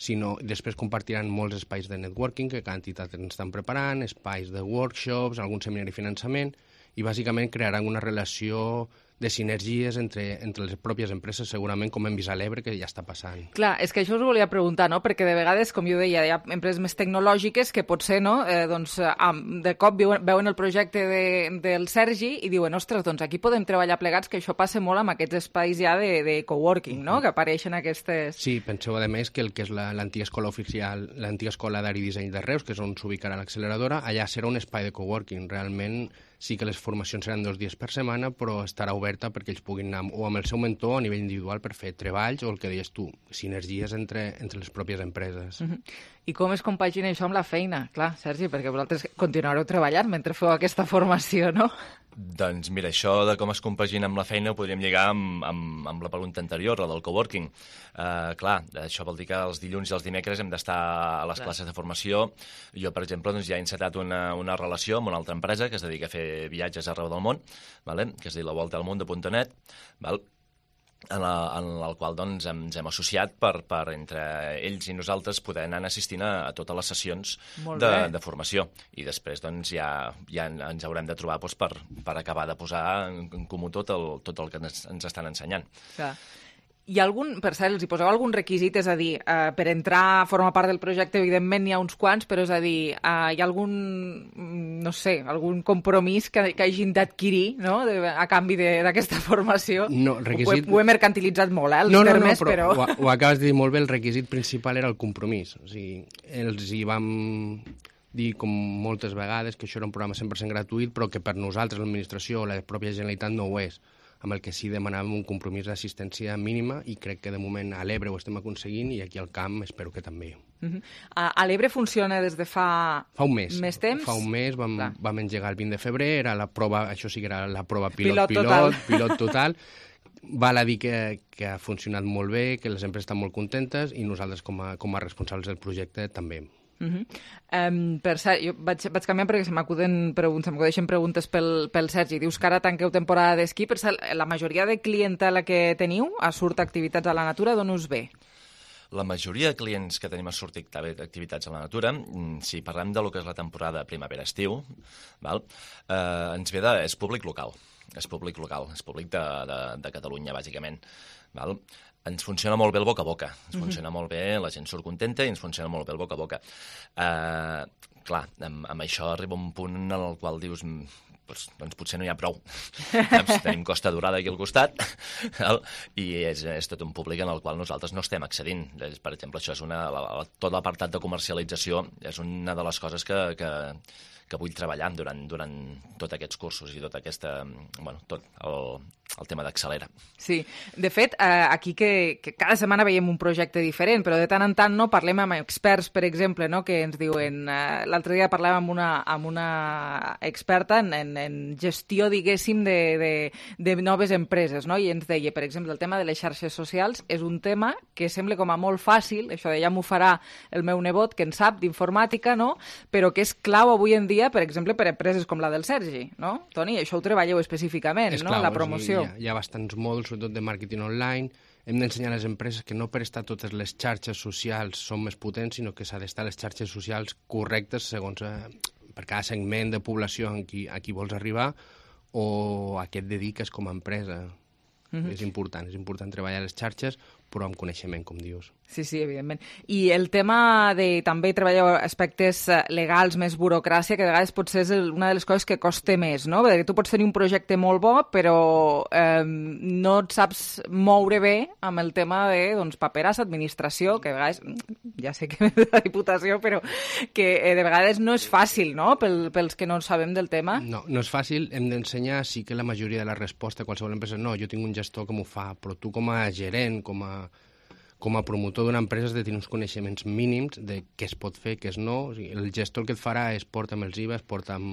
[SPEAKER 18] sinó després compartiran molts espais de networking que cada entitat ens estan preparant, espais de workshops, algun seminari de finançament, i bàsicament crearan una relació de sinergies entre les pròpies empreses, segurament, com hem vist a l'Ebre, que ja està passant.
[SPEAKER 3] Clar, és que això us volia preguntar, no? Perquè de vegades, com jo deia, hi ha empreses més tecnològiques que potser, no? De cop veuen el projecte del Sergi i diuen, ostres, doncs aquí podem treballar plegats, que això passa molt amb aquests espais ja de coworking, no? Que apareixen aquestes...
[SPEAKER 18] Sí, penseu, a més, que el que és l'antiga escola oficial, l'antiga escola d'Art i Disseny de Reus, que és on s'ubicarà l'acceleradora, allà serà un espai de coworking. Realment, sí que les formacions seran 2 dies per setmana, però estarà oberta perquè ells puguin anar o amb el seu mentor a nivell individual per fer treballs o el que deies tu, sinergies entre les pròpies empreses.
[SPEAKER 3] I com es compagina això amb la feina? Clar, Sergi, perquè vosaltres continuareu treballant mentre feu aquesta formació, no?
[SPEAKER 19] Doncs mira, això de com es compagina amb la feina ho podríem lligar amb la pregunta anterior, la del coworking. Clar, això vol dir que els dilluns i els dimecres hem d'estar a les classes de formació. Jo, per exemple, doncs, ja he encetat una relació amb una altra empresa que es dedica a fer viatges arreu del món, vale? Que es diu La Volta al Mundo.net, en el qual doncs, ens hem associat per entre ells i nosaltres poder anar assistint a totes les sessions de formació. I després doncs, ja ens haurem de trobar doncs, per acabar de posar en comú tot el que ens estan ensenyant.
[SPEAKER 3] Clar. Hi ha algun, per cert, els hi poseu algun requisit? És a dir, per entrar a formar part del projecte, evidentment n'hi ha uns quants, però és a dir, hi ha algun, no sé, algun compromís que hagin d'adquirir, no?, a canvi d'aquesta formació?
[SPEAKER 18] No, requisit...
[SPEAKER 3] Ho he mercantilitzat molt, els termes, però...
[SPEAKER 18] Ho acabes de dir molt bé, el requisit principal era el compromís. O sigui, els hi vam dir com moltes vegades que això era un programa 100% gratuït, però que per nosaltres, l'administració o la pròpia Generalitat no ho és, amb el que sí demanàvem un compromís d'assistència mínima i crec que de moment a l'Ebre ho estem aconseguint i aquí al camp espero que també.
[SPEAKER 3] A l'Ebre funciona des de fa
[SPEAKER 18] un mes.
[SPEAKER 3] Més temps?
[SPEAKER 18] Fa un mes, vam engegar el 20 de febrer, era la prova, això sí que era la prova pilot total. Val a dir que ha funcionat molt bé, que les empreses estan molt contentes i nosaltres com a responsables del projecte també.
[SPEAKER 3] Per cert, jo vaig canviant perquè se m'acudeixen preguntes pel Sergi. Dius que ara tanqueu temporada d'esquí. Per cert, la majoria de clientela que teniu a Surt Activitats a la Natura, d'on us ve?
[SPEAKER 19] La majoria de clients que tenim a Surt Activitats a la Natura, si parlem de lo que és la temporada primavera-estiu, ens ve és públic local. És públic de Catalunya, bàsicament. Ens funciona molt bé el boca a boca, ens funciona molt bé, la gent surt contenta i ens funciona molt bé el boca a boca. Clar, amb això arriba un punt en el qual dius, doncs potser no hi ha prou. Tenim Costa Dorada aquí al costat i és tot un públic en el qual nosaltres no estem accedint. Per exemple, això és tot l'apartat de comercialització és una de les coses que vull treballar durant tots aquests cursos i tot el tema d'Accelera.
[SPEAKER 3] Sí, de fet, aquí que cada setmana veiem un projecte diferent, però de tant en tant no parlem amb experts, per exemple, no? Que ens diuen... L'altre dia parlàvem amb una experta en gestió, diguéssim, de noves empreses, no? I ens deia, per exemple, el tema de les xarxes socials és un tema que sembla com a molt fàcil, això de ja m'ho farà el meu nebot, que en sap d'informàtica, no? Però que és clau avui en dia, per exemple, per empreses com la del Sergi, no? Toni, això ho treballeu específicament, no? La promoció.
[SPEAKER 18] Hi ha bastants mòduls, sobretot de màrqueting online. Hem d'ensenyar a les empreses que no per estar totes les xarxes socials són més potents, sinó que s'ha d'estar les xarxes socials correctes segons per cada segment de població a qui vols arribar o a què et dediques com a empresa. És important treballar les xarxes, però amb coneixement, com dius.
[SPEAKER 3] Sí, evidentment. I el tema de també treballar aspectes legals, més burocràcia, que a vegades potser és una de les coses que costa més, no? Perquè tu pots tenir un projecte molt bo, però no et saps moure bé amb el tema de paperàs, administració, que a vegades, ja sé que ve de la Diputació, però que de vegades no és fàcil, no?, pels que no sabem del tema.
[SPEAKER 18] No és fàcil, hem d'ensenyar, sí que la majoria de la resposta a qualsevol empresa, no, jo tinc un gestor que m'ho fa, però tu com a gerent, com a promotor d'una empresa has de tenir uns coneixements mínims de què es pot fer, què es no. O sigui, el gestor el que et farà és porta'm els IVAs, porta'm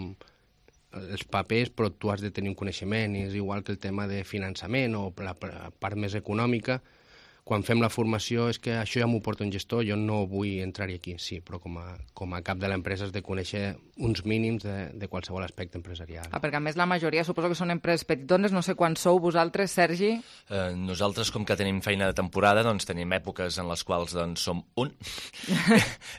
[SPEAKER 18] els papers, però tu has de tenir un coneixement, i és igual que el tema de finançament o la part més econòmica. quan fem la formació és que això ja m'ho porta un gestor, jo no vull entrar-hi aquí, sí, però com a cap de l'empresa has de conèixer uns mínims de qualsevol aspecte empresarial.
[SPEAKER 3] Perquè a més la majoria suposo que són empreses petitones, no sé quan sou vosaltres, Sergi?
[SPEAKER 19] Nosaltres, com que tenim feina de temporada, doncs tenim èpoques en les quals doncs, som un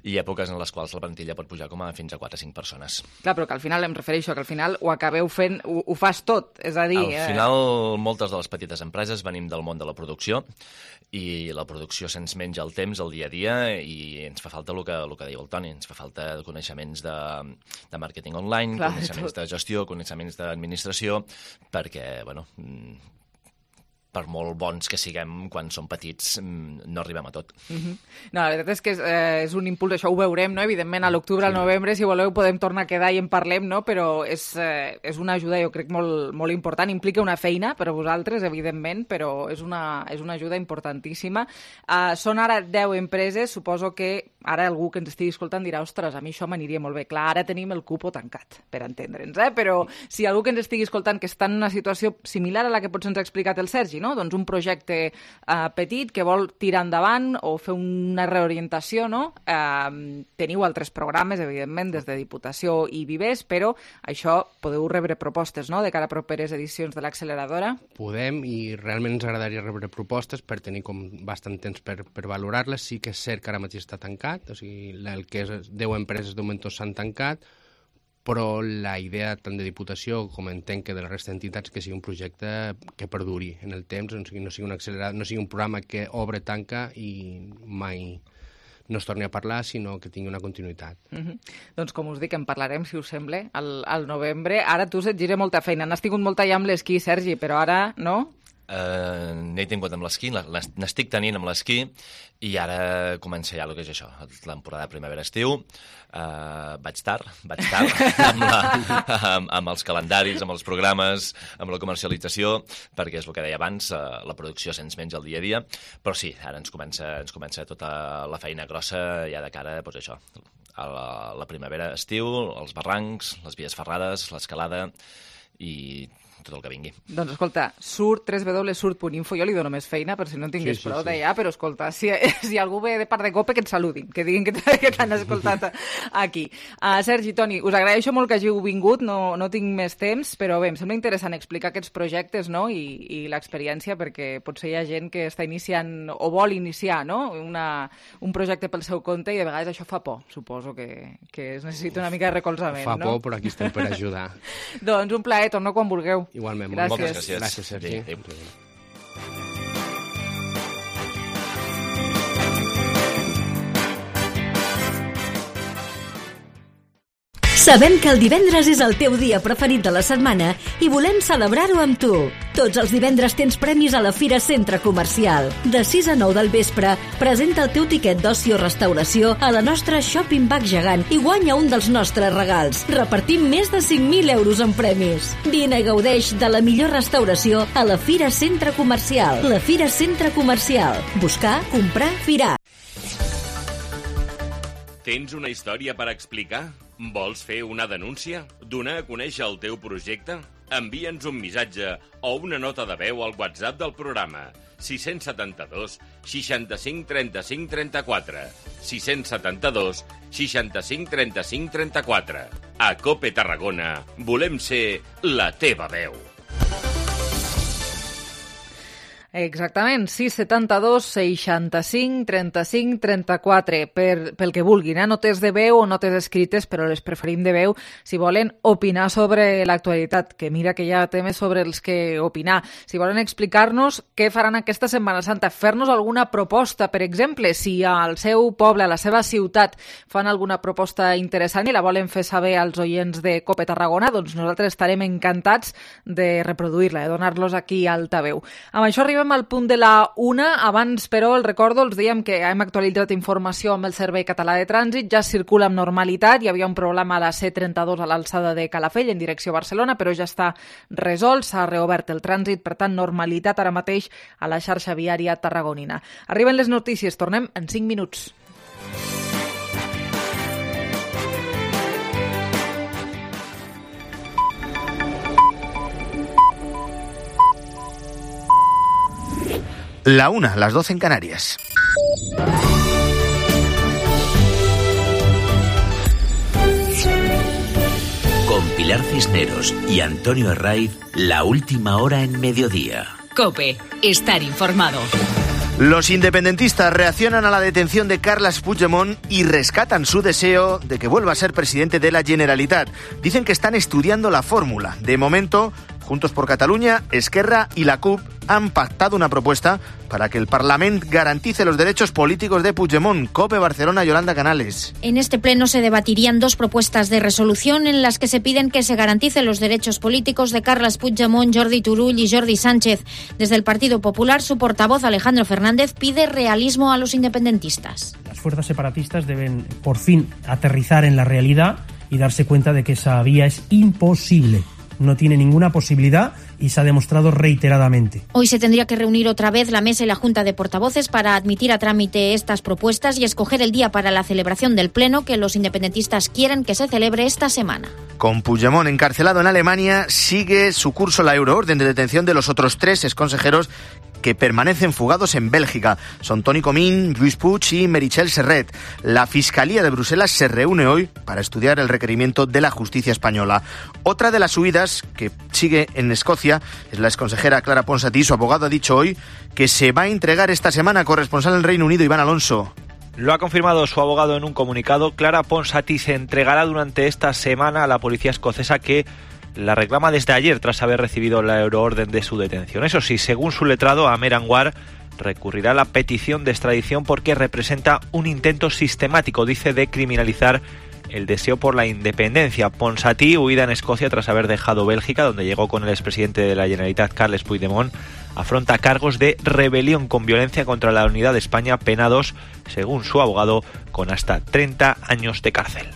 [SPEAKER 19] i èpoques en les quals la plantilla pot pujar com a fins a 4 o 5 persones.
[SPEAKER 3] Clar, però que al final em refereixo que al final ho acabeu fent, ho fas tot, és a dir...
[SPEAKER 19] Al final, moltes de les petites empreses venim del món de la producció i la producció se'ns menja el temps, el dia a dia, i ens fa falta el que diu el Toni, ens fa falta coneixements de màrqueting online, clar, coneixements de gestió, coneixements d'administració, perquè, bueno, per molt bons que siguem, quan som petits no arribem a tot.
[SPEAKER 3] No, la veritat és que és un impuls, això ho veurem, no? Evidentment, a l'octubre, al novembre, si voleu, podem tornar a quedar i en parlem, no? Però és una ajuda, jo crec, molt important. Implica una feina per a vosaltres, evidentment, però és una ajuda importantíssima. Són ara 10 empreses, suposo que ara algú que ens estigui escoltant dirà, ostres, a mi això m'aniria molt bé. Clar, ara tenim el cupo tancat, per entendre'ns, però si algú que ens estigui escoltant que està en una situació similar a la que potser ens ha explicat el Sergi, no? Doncs un projecte petit que vol tirar endavant o fer una reorientació, no? Teniu altres programes, evidentment, des de Diputació i Vivers, però això podeu rebre propostes, no?, de cara a properes edicions de l'acceleradora.
[SPEAKER 18] Podem, i realment ens agradaria rebre propostes per tenir com bastant temps per valorar-les. Sí que és cert que ara mateix està tancat, o sigui, el que és 10 empreses de moment s'han tancat, però la idea tant de Diputació com entenc que de la resta d'entitats que sigui un projecte que perduri en el temps, no sigui un accelerat, no sigui un programa que obre, tanca i mai no es torni a parlar, sinó que tingui una continuïtat.
[SPEAKER 3] Doncs com us dic, en parlarem, si us sembla, al novembre. Ara tu se't gira molta feina. N'has tingut molta ja amb l'esquí, Sergi, però ara no?
[SPEAKER 19] N'he tingut amb l'esquí, n'estic tenint amb l'esquí, i ara comença ja el que és això, la temporada de primavera-estiu. Vaig tard amb els calendaris, amb els programes, amb la comercialització, perquè és el que deia abans, la producció se'ns menja el dia a dia, però sí, ara ens comença tota la feina grossa ja de cara, doncs això, a la primavera-estiu, els barrancs, les vies ferrades, l'escalada i tot el que vingui.
[SPEAKER 3] Doncs escolta, www.surt.info, jo li dono més feina per si no en tingués prou d'allà, però escolta, si algú ve de part de COPE, que et saludin, que diguin que t'han escoltat aquí. Sergi, Toni, us agraeixo molt que hàgiu vingut, no tinc més temps, però bé, em sembla interessant explicar aquests projectes, no?, i l'experiència, perquè potser hi ha gent que està iniciant o vol iniciar, no?, un projecte pel seu compte, i de vegades això fa por, suposo que es necessita una mica de recolzament, no?
[SPEAKER 18] Fa por, però aquí estem per ajudar.
[SPEAKER 3] Doncs un plaer, torno quan vulgueu.
[SPEAKER 18] Igualment,
[SPEAKER 19] moltes gràcies.
[SPEAKER 18] Gràcies, Sergi.
[SPEAKER 19] Adéu.
[SPEAKER 20] Sabem que el divendres és el teu dia preferit de la setmana i volem celebrar-ho amb tu. Tots els divendres tens premis a la Fira Centre Comercial. De 6 a 9 del vespre, presenta el teu tiquet d'oci o restauració a la nostra Shopping Bag gegant i guanya un dels nostres regals. Repartim més de 5.000 euros en premis. Vine i gaudeix de la millor restauració a la Fira Centre Comercial. La Fira Centre Comercial. Buscar, comprar, firar.
[SPEAKER 6] Tens una història per explicar? Vols fer una denúncia? Donar a conèixer el teu projecte? Envia'ns un missatge o una nota de veu al WhatsApp del programa 672 65 35 34 672 65 35 34. A COPE Tarragona volem ser la teva veu.
[SPEAKER 3] Exactament, 672 65 35 34 pel que vulguin, notes de veu o notes escrites, però les preferim de veu si volen opinar sobre l'actualitat, que mira que hi ha temes sobre els que opinar. Si volen explicar-nos què faran aquesta Setmana Santa, fer-nos alguna proposta, per exemple, si al seu poble, a la seva ciutat, fan alguna proposta interessant i la volen fer saber als oients de COPE Tarragona, doncs nosaltres estarem encantats de reproduir-la, de donar-los aquí altaveu. Amb això arribem al punt de la 1. Abans, però, el recordo, els dèiem que hem actualitzat informació amb el Servei Català de Trànsit, ja circula amb normalitat, hi havia un problema a la C32 a l'alçada de Calafell, en direcció a Barcelona, però ja està resolt, s'ha reobert el trànsit, per tant, normalitat ara mateix a la xarxa viària tarragonina. Arriben les notícies, tornem en 5 minuts.
[SPEAKER 21] La 1, las 12 en Canarias.
[SPEAKER 2] Con Pilar Cisneros y Antonio Herraiz, la última hora en mediodía.
[SPEAKER 20] COPE, estar informado.
[SPEAKER 21] Los independentistas reaccionan a la detención de Carles Puigdemont y rescatan su deseo de que vuelva a ser presidente de la Generalitat. Dicen que están estudiando la fórmula. De momento, Juntos por Catalunya, Esquerra y la CUP han pactado una propuesta para que el Parlament garantice los derechos políticos de Puigdemont. COPE Barcelona, Yolanda Canales.
[SPEAKER 22] En este pleno se debatirían 2 propuestas de resolución en las que se piden que se garanticen los derechos políticos de Carles Puigdemont, Jordi Turull y Jordi Sánchez. Desde el Partido Popular, su portavoz Alejandro Fernández pide realismo a los independentistas.
[SPEAKER 23] Las fuerzas separatistas deben por fin aterrizar en la realidad y darse cuenta de que esa vía es imposible. No tiene ninguna posibilidad y se ha demostrado reiteradamente.
[SPEAKER 22] Hoy se tendría que reunir otra vez la mesa y la Junta de Portavoces para admitir a trámite estas propuestas y escoger el día para la celebración del pleno que los independentistas quieren que se celebre esta semana.
[SPEAKER 21] Con Puigdemont encarcelado en Alemania, sigue su curso la euroorden de detención de los otros 3 exconsejeros que permanecen fugados en Bélgica. Son Toni Comín, Lluís Puig y Meritxell Serret. La Fiscalía de Bruselas se reúne hoy para estudiar el requerimiento de la justicia española. Otra de las huidas que sigue en Escocia es la exconsejera Clara Ponsatí. Su abogado ha dicho hoy que se va a entregar esta semana. Corresponsal en Reino Unido, Iván Alonso.
[SPEAKER 24] Lo ha confirmado su abogado en un comunicado. Clara Ponsatí se entregará durante esta semana a la policía escocesa, que la reclama desde ayer tras haber recibido la euroorden de su detención. Eso sí, según su letrado, Amer Anwar recurrirá a la petición de extradición porque representa un intento sistemático, dice, de criminalizar el deseo por la independencia. Ponsatí, huida en Escocia tras haber dejado Bélgica, donde llegó con el expresidente de la Generalitat, Carles Puigdemont, afronta cargos de rebelión con violencia contra la unidad de España, penados, según su abogado, con hasta 30 años de cárcel.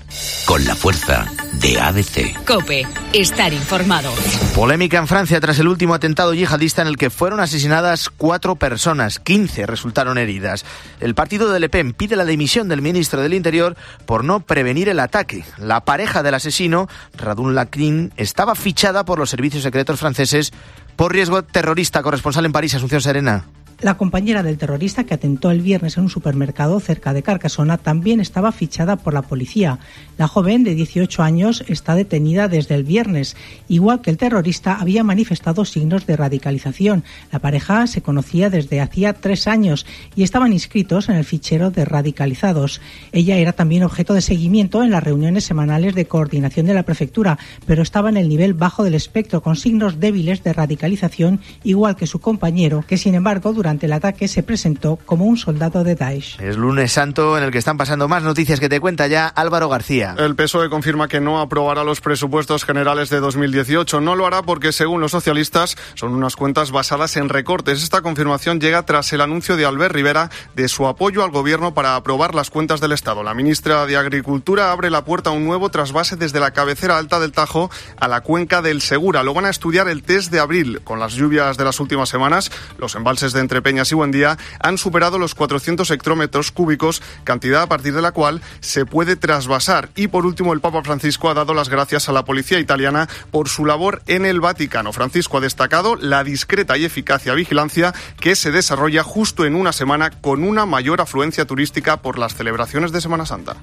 [SPEAKER 2] Con la fuerza de ABC.
[SPEAKER 20] COPE, estar informado.
[SPEAKER 21] Polémica en Francia tras el último atentado yihadista en el que fueron asesinadas 4 personas, 15 resultaron heridas. El partido de Le Pen pide la dimisión del ministro del Interior por no prevenir el ataque. La pareja del asesino, Radun Lacrin, estaba fichada por los servicios secretos franceses por riesgo terrorista. Corresponsal en París, Asunción Serena.
[SPEAKER 25] La compañera del terrorista que atentó el viernes en un supermercado cerca de Carcassona también estaba fichada por la policía. La joven, de 18 años, está detenida desde el viernes. Igual que el terrorista, había manifestado signos de radicalización. La pareja se conocía desde hacía 3 años y estaban inscritos en el fichero de radicalizados. Ella era también objeto de seguimiento en las reuniones semanales de coordinación de la prefectura, pero estaba en el nivel bajo del espectro, con signos débiles de radicalización, igual que su compañero, que sin embargo durante el ataque se presentó como un soldado de Daesh.
[SPEAKER 21] Es lunes santo en el que están pasando más noticias que te cuenta ya Álvaro García.
[SPEAKER 26] El PSOE confirma que no aprobará los presupuestos generales de 2018. No lo hará porque, según los socialistas, son unas cuentas basadas en recortes. Esta confirmación llega tras el anuncio de Albert Rivera de su apoyo al gobierno para aprobar las cuentas del Estado. La ministra de Agricultura abre la puerta a un nuevo trasvase desde la cabecera alta del Tajo a la cuenca del Segura. Lo van a estudiar el test de abril. Con las lluvias de las últimas semanas, los embalses de Entrepeñas y Buendía han superado los 400 hectómetros cúbicos, cantidad a partir de la cual se puede trasvasar. Y por último, el Papa Francisco ha dado las gracias a la policía italiana por su labor en el Vaticano. Francisco ha destacado la discreta y eficacia vigilancia que se desarrolla justo en una semana con una mayor afluencia turística por las celebraciones de Semana Santa.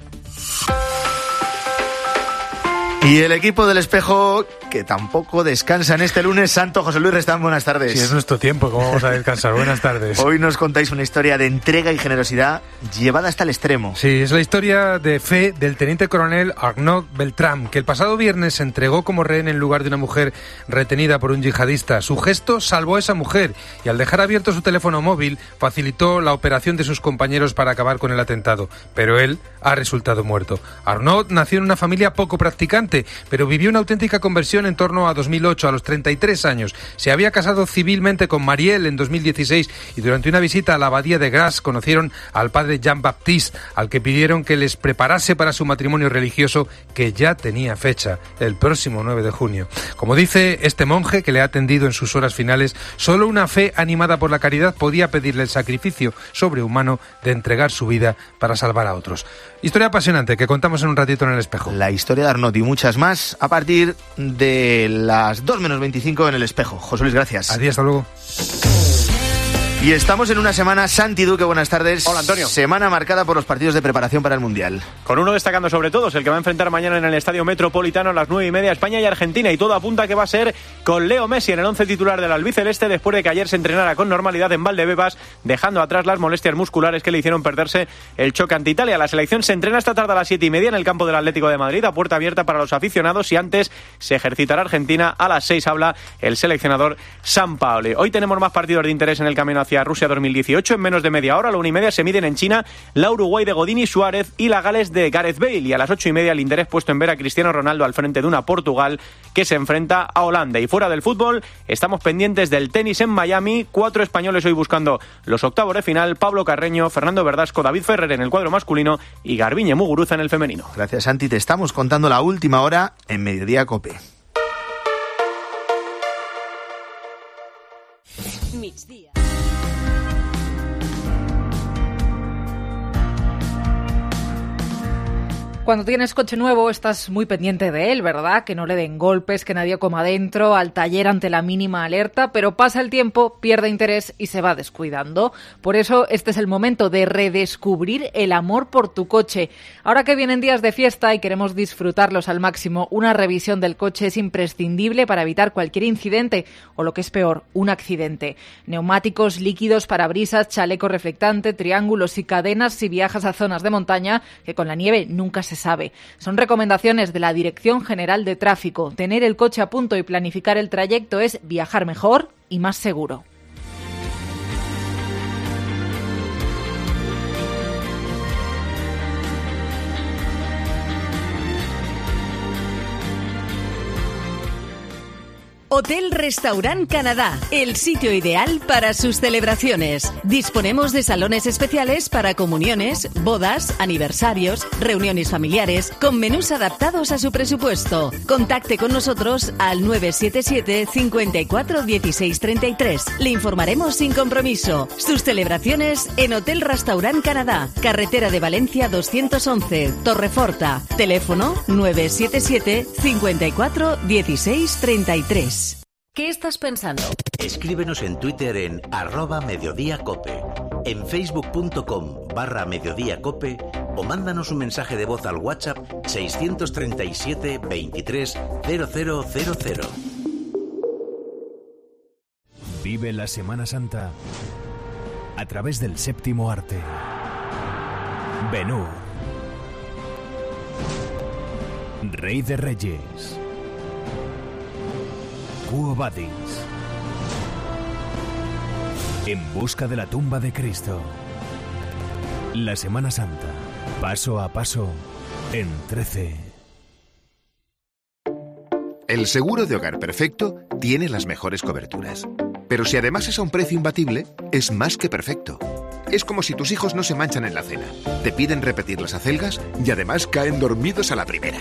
[SPEAKER 21] Y el equipo del Espejo, que tampoco descansa en este lunes santo. José Luis Restán, buenas tardes.
[SPEAKER 27] Sí, es nuestro tiempo, ¿cómo vamos a descansar? Buenas tardes.
[SPEAKER 21] Hoy nos contáis una historia de entrega y generosidad llevada hasta el extremo.
[SPEAKER 27] Sí, es la historia de fe del teniente coronel Arnaud Beltrame, que el pasado viernes se entregó como rehén en lugar de una mujer retenida por un yihadista. Su gesto salvó a esa mujer y al dejar abierto su teléfono móvil facilitó la operación de sus compañeros para acabar con el atentado. Pero él ha resultado muerto. Arnaud nació en una familia poco practicante, pero vivió una auténtica conversión en torno a 2008, a los 33 años. Se había casado civilmente con Marielle en 2016 y durante una visita a la abadía de Grasse conocieron al padre Jean-Baptiste, al que pidieron que les preparase para su matrimonio religioso, que ya tenía fecha, el próximo 9 de junio. Como dice este monje que le ha atendido en sus horas finales, solo una fe animada por la caridad podía pedirle el sacrificio sobrehumano de entregar su vida para salvar a otros. Historia apasionante que contamos en un ratito en el Espejo.
[SPEAKER 21] La historia de Arnaud y muchas más a partir de las 2 menos 25 en el Espejo. José Luis, gracias.
[SPEAKER 27] Adiós, hasta luego.
[SPEAKER 21] Y estamos en una semana, Santi Duque, buenas tardes.
[SPEAKER 1] Hola, Antonio.
[SPEAKER 21] Semana marcada por los partidos de preparación para el Mundial.
[SPEAKER 1] Con uno destacando sobre todos, el que va a enfrentar mañana en el Estadio Metropolitano a las 9:30 España y Argentina. Y todo apunta a que va a ser con Leo Messi en el 11 titular del albiceleste, después de que ayer se entrenara con normalidad en Valdebebas, dejando atrás las molestias musculares que le hicieron perderse el choque ante Italia. La selección se entrena esta tarde a las 7:30 en el campo del Atlético de Madrid, a puerta abierta para los aficionados, y antes se ejercitará Argentina. A las 6 habla el seleccionador Sampaoli. Hoy tenemos más partidos de interés en el camino hacia Rusia 2018. En menos de media hora, a la 1:30 se miden en China la Uruguay de Godín y Suárez y la Gales de Gareth Bale. Y a las 8:30 el interés puesto en ver a Cristiano Ronaldo al frente de una Portugal que se enfrenta a Holanda. Y fuera del fútbol, estamos pendientes del tenis en Miami. 4 españoles hoy buscando los octavos de final: Pablo Carreño, Fernando Verdasco, David Ferrer en el cuadro masculino y Garbiñe Muguruza en el femenino.
[SPEAKER 21] Gracias, Santi. Te estamos contando la última hora en Mediodía COPE.
[SPEAKER 17] Migdia.
[SPEAKER 3] Cuando tienes coche nuevo estás muy pendiente de él, ¿verdad? Que no le den golpes, que nadie coma dentro, al taller ante la mínima alerta, pero pasa el tiempo, pierde interés y se va descuidando. Por eso este es el momento de redescubrir el amor por tu coche. Ahora que vienen días de fiesta y queremos disfrutarlos al máximo, una revisión del coche es imprescindible para evitar cualquier incidente o, lo que es peor, un accidente. Neumáticos, líquidos, parabrisas, chaleco reflectante, triángulos y cadenas si viajas a zonas de montaña, que con la nieve nunca se sabe. Son recomendaciones de la Dirección General de Tráfico. Tener el coche a punto y planificar el trayecto es viajar mejor y más seguro.
[SPEAKER 20] Hotel Restaurant Canadá, el sitio ideal para sus celebraciones. Disponemos de salones especiales para comuniones, bodas, aniversarios, reuniones familiares, con menús adaptados a su presupuesto. Contacte con nosotros al 977 54 16 33. Le informaremos sin compromiso. Sus celebraciones en Hotel Restaurant Canadá, carretera de Valencia 211, Torreforta. Teléfono 977 54 16 33.
[SPEAKER 17] ¿Qué estás pensando?
[SPEAKER 2] Escríbenos en Twitter en @mediodíacope, en facebook.com/mediodíacope o mándanos un mensaje de voz al WhatsApp 637 23 0000.
[SPEAKER 4] Vive la Semana Santa a través del séptimo arte. Ben-Hur, Rey de Reyes, Quo Vadis, En busca de la tumba de Cristo. La Semana Santa, paso a paso, en 13.
[SPEAKER 5] El seguro de hogar perfecto tiene las mejores coberturas. Pero si además es a un precio imbatible, es más que perfecto. Es como si tus hijos no se manchan en la cena, te piden repetir las acelgas y además caen dormidos a la primera.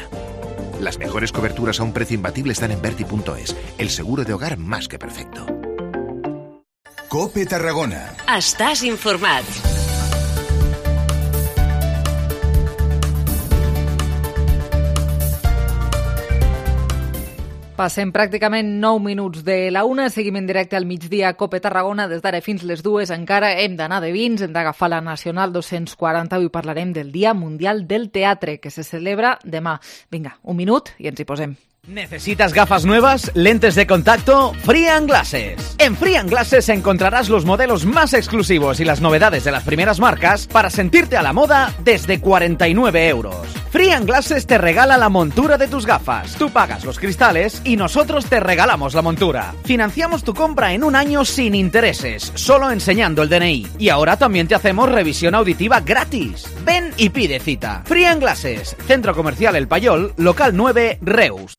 [SPEAKER 5] Las mejores coberturas a un precio imbatible están en Berti.es, el seguro de hogar más que perfecto.
[SPEAKER 11] COPE Tarragona.
[SPEAKER 17] Estàs informat.
[SPEAKER 3] Passem pràcticament 9 minuts de la 1, seguim en directe al migdia a COPE Tarragona, des d'ara fins les 2, encara hem d'anar de vins, hem d'agafar la Nacional 240, avui parlarem del Dia Mundial del Teatre, que se celebra demà. Vinga, un minut i ens hi posem.
[SPEAKER 7] ¿Necesitas gafas nuevas? ¿Lentes de contacto? Free & Glasses. En Free & Glasses encontrarás los modelos más exclusivos y las novedades de las primeras marcas para sentirte a la moda desde 49 euros. Free & Glasses te regala la montura de tus gafas. Tú pagas los cristales y nosotros te regalamos la montura. Financiamos tu compra en un año sin intereses, solo enseñando el DNI. Y ahora también te hacemos revisión auditiva gratis. Ven y pide cita. Free & Glasses, Centro Comercial El Payol, local 9, Reus.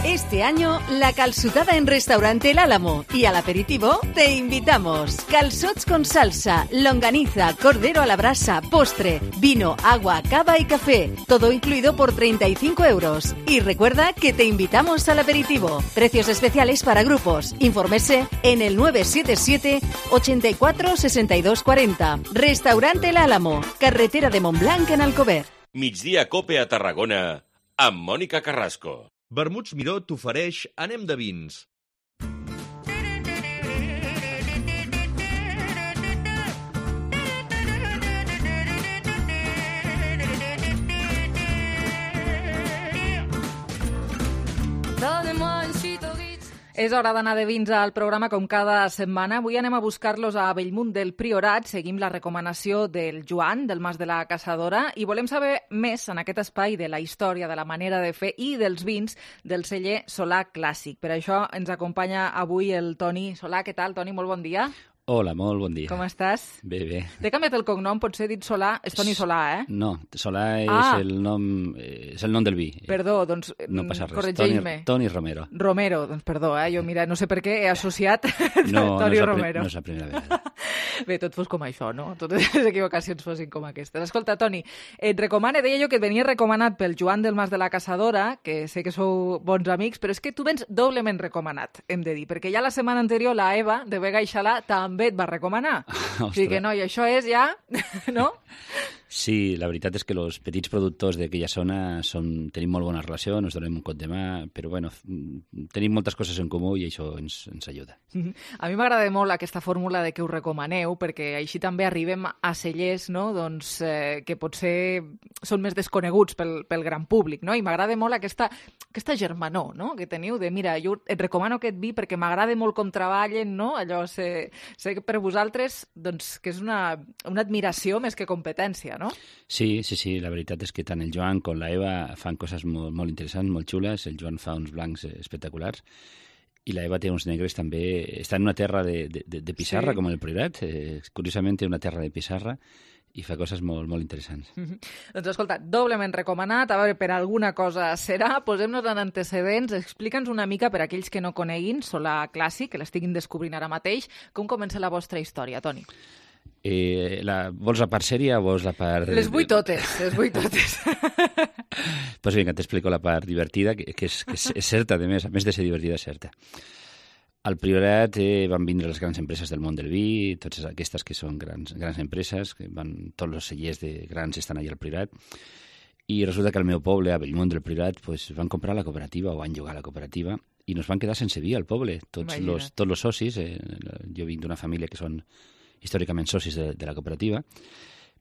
[SPEAKER 20] Este año, la calçotada en Restaurante El Álamo y al aperitivo te invitamos. Calçots con salsa, longaniza, cordero a la brasa, postre, vino, agua, cava y café. Todo incluido por 35 euros. Y recuerda que te invitamos al aperitivo. Precios especiales para grupos. Infórmese en el 977 84 62 40. Restaurante El Álamo, carretera de Montblanc en Alcover.
[SPEAKER 6] Migdia COPE a Tarragona amb Mònica Carrasco.
[SPEAKER 8] Vermuts Miró t'ofereix Anem de vins.
[SPEAKER 9] Donnez-moi une suite au Ritz.
[SPEAKER 3] És hora d'anar de vins al programa com cada setmana. Avui anem a buscar-los a Bellmunt del Priorat. Seguim la recomanació del Joan, del Mas de la Caçadora, i volem saber més en aquest espai de la història, de la manera de fer i dels vins del celler Solà Clàssic. Per això ens acompanya avui el Toni Solà. Què tal, Toni? Molt bon dia.
[SPEAKER 10] Hola, molt bon dia.
[SPEAKER 3] Com estàs?
[SPEAKER 10] Bé, bé.
[SPEAKER 3] T'he canviat el cognom, potser dit Solà. És Toni Solà, eh?
[SPEAKER 10] No, Solà és el nom del vi.
[SPEAKER 3] Perdó, doncs
[SPEAKER 10] no passa res.
[SPEAKER 3] Corregeix-me.
[SPEAKER 10] Toni Romero.
[SPEAKER 3] Romero, doncs perdó, jo mira, no sé per què he associat Toni Romero.
[SPEAKER 10] No és la primera vegada.
[SPEAKER 3] Bé, tot fos com això, no? Totes les equivocacions fossin com aquestes. Escolta, Toni, et recomane, deia jo que et venia recomanat pel Joan del Mas de la Caçadora, que sé que sou bons amics, però és que tu vens doblement recomanat, hem de dir, perquè ja la setmana anterior la Eva, de Vega i Xalà, també et va recomanar. O sigui que no, i això és ja, no?
[SPEAKER 10] Sí, la veritat és que els petits productors d'aquella zona tenim molt bona relació, ens donem un cop de mà, però bueno, tenim moltes coses en comú i això ens ajuda.
[SPEAKER 3] A mi m'agrada molt aquesta fórmula de que us recomaneu, perquè així també arribem a cellers, no? Doncs, que potser són més desconeguts pel gran públic, no? I m'agrada molt aquesta germanor, no? Que teniu de, mira, jo et recomano aquest vi perquè m'agrada molt com treballen, no? Allò sé que per vosaltres doncs, que és una admiració més que competència, no?
[SPEAKER 10] Sí, la veritat és que tant el Joan com la Eva fan coses molt, molt interessants, molt xules. El Joan fa uns blancs espectaculars i la Eva té uns negres també. Està en una terra de pissarra, sí, com el Priorat. Curiosament té una terra de pissarra i fa coses molt, molt interessants.
[SPEAKER 3] Doncs escolta, doblement recomanat, a veure, per alguna cosa serà. Posem-nos en antecedents, explica'ns una mica per aquells que no coneguin Solà Clàssic, que l'estiguin descobrint ara mateix, com comença la vostra història, Toni?
[SPEAKER 10] Vols la part sèria o vols la part...
[SPEAKER 3] Les vull totes.
[SPEAKER 10] Pues vinga, t'explico la part divertida, que és certa, a més de ser divertida, és certa. Al Priorat van vindre les grans empreses del món del vi, totes aquestes que són grans empreses, tots els cellers de grans estan allà al Priorat, i resulta que al meu poble, a Bellmunt del Priorat, pues, van comprar la cooperativa o van llogar la cooperativa i nos van quedar sense vi al poble. Tots els socis, jo vinc d'una família que són històricament socis de la cooperativa,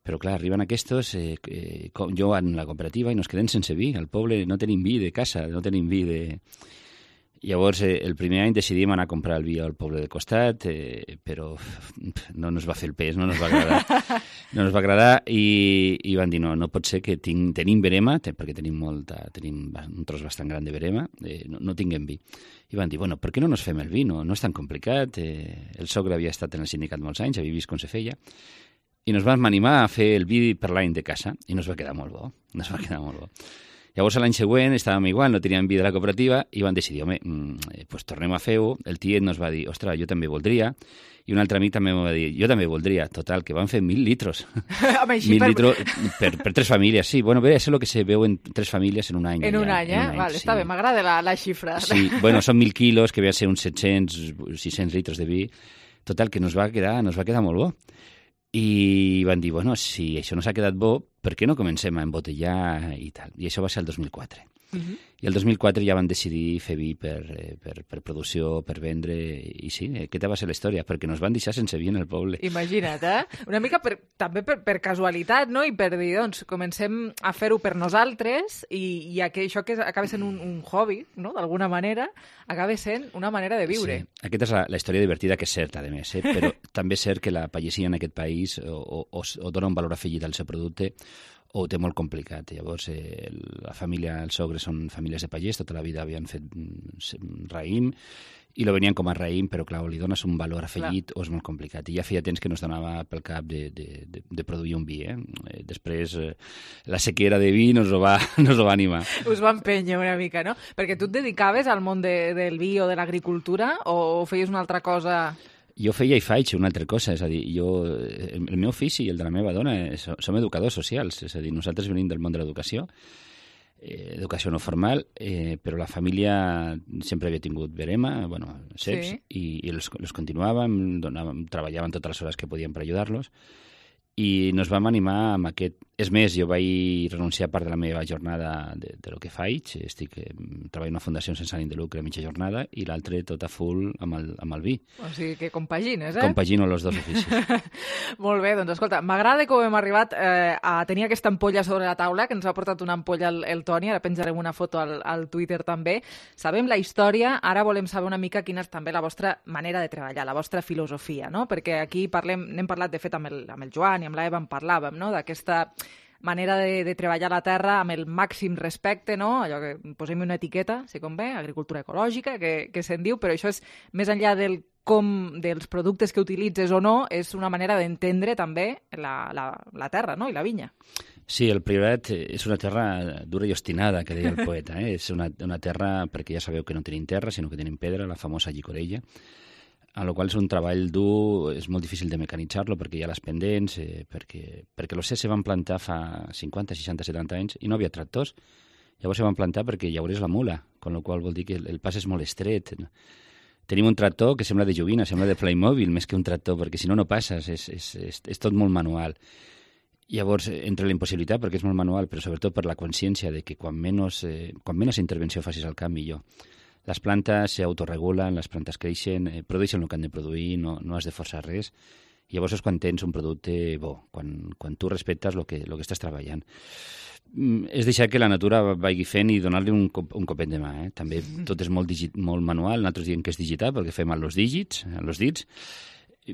[SPEAKER 10] però clar, arriben aquests, jo en la cooperativa i nos quedem sense vi. Al poble no tenim vi de casa, no tenim vi de... Llavors, el primer any decidíem anar a comprar el vi al poble de costat, però no ens va fer el pes, no ens va agradar. No ens va agradar i van dir, no pot ser que tenim verema, perquè tenim un tros bastant gran de verema, no tinguem vi. I van dir, bueno, per què no nos fem el vi? No és tan complicat. El sogre havia estat en el sindicat molts anys, havia vist com se feia, i nos vam animar a fer el vi per l'any de casa, i nos va quedar molt bo. Llavors, l'any següent, estàvem igual, no teníem vi de la cooperativa, i van decidir, pues tornem a fer-ho. El tiet nos va dir, ostres, jo també voldria, i un altre amic també m'ho va dir, jo també voldria. Total, que van fer 1.000 litros. 1.000 litros per 3 famílies, sí. Bueno, bé, és el que se veu en 3 famílies en un any.
[SPEAKER 3] En un any, Vale, està bé, m'agrada la xifra.
[SPEAKER 10] Sí, bueno, són 1.000 quilos, que ve a ser uns 700, 600 litres de vi. Total, que nos va quedar molt bo. I van dir, bueno, si això no s'ha quedat bo, per què no comencem a embotellar i tal? I això va ser el 2004. I el 2004 ja van decidir fer vi per producció, per vendre, i sí, aquesta va ser la història, perquè nos van deixar sense vi en el poble.
[SPEAKER 3] Imagina't, Una mica també per casualitat, no? I per dir, doncs, comencem a fer-ho per nosaltres i això que acaba sent un hobby, no? D'alguna manera, acaba sent una manera de viure.
[SPEAKER 10] Sí, aquesta és la història divertida, que és certa, a més, però també és cert que la pagesia en aquest país o dona un valor afegit al seu producte o ho té molt complicat. Llavors, la família, els sogres són famílies de pagès, tota la vida havien fet raïm, i lo venien com a raïm, però clar, li dones un valor afegit o és molt complicat. I ja feia temps que no es donava pel cap de produir un vi. Després, la sequera de vi nos ho va animar.
[SPEAKER 3] Us va empènyer una mica, no? Perquè tu et dedicaves al món del vi o de l'agricultura o feies una altra cosa...
[SPEAKER 10] Jo feia i faig una altra cosa, és a dir, el meu ofici i el de la meva dona som educadors socials, és a dir, nosaltres venim del món de l'educació, educació no formal, però la família sempre havia tingut verema, ceps, i els continuàvem, treballàvem totes les hores que podíem per ajudar-los, i nos vam animar amb aquest... És més, jo vaig renunciar a part de la meva jornada de lo que faig. Treballo en una fundació sense ànim de lucre a mitja jornada i l'altre tot a full amb el vi.
[SPEAKER 3] O sigui que compagines,
[SPEAKER 10] Compagino els dos oficis.
[SPEAKER 3] Molt bé, doncs escolta, m'agrada com hem arribat a tenir aquesta ampolla sobre la taula, que ens ha portat una ampolla el Toni, ara penjarem una foto al Twitter també. Sabem la història, ara volem saber una mica quina és també la vostra manera de treballar, la vostra filosofia, no? Perquè aquí n'hem parlat, de fet, amb el Joan i amb l'Eva en parlàvem, no? D'aquesta manera de treballar la terra amb el màxim respecte, no? Allò que posem una etiqueta, si convé, agricultura ecològica, que se'n diu, però això és més enllà dels productes que utilitzes o no, és una manera d'entendre també la terra, no? I la vinya.
[SPEAKER 10] Sí, el Priorat és una terra dura i obstinada, que deia el poeta. És una terra, perquè ja sabeu que no tenim terra, sinó que tenim pedra, la famosa llicorella, a la qual és un treball dur, és molt difícil de mecanitzar-lo perquè hi ha les pendents, perquè l'OC se van plantar fa 50, 60, 70 anys i no havia tractors. Llavors se van plantar perquè llaurés la mula, amb la qual vol dir que el pas és molt estret. Tenim un tractor que sembla de joguina, sembla de Playmobil més que un tractor, perquè si no, no passes, és tot molt manual. Llavors, entre la impossibilitat, perquè és molt manual, però sobretot per la consciència de que quan menys intervenció facis al camp, millor. Les plantes s'autoregulen, les plantes creixen, produeixen el que han de produir, no has de forçar res. Llavors és quan tens un producte bo, quan tu respectes el que estàs treballant. És deixar que la natura vagi fent i donar-li un copet de mà. També tot és molt manual, nosaltres diem que és digital perquè fem amb els dits,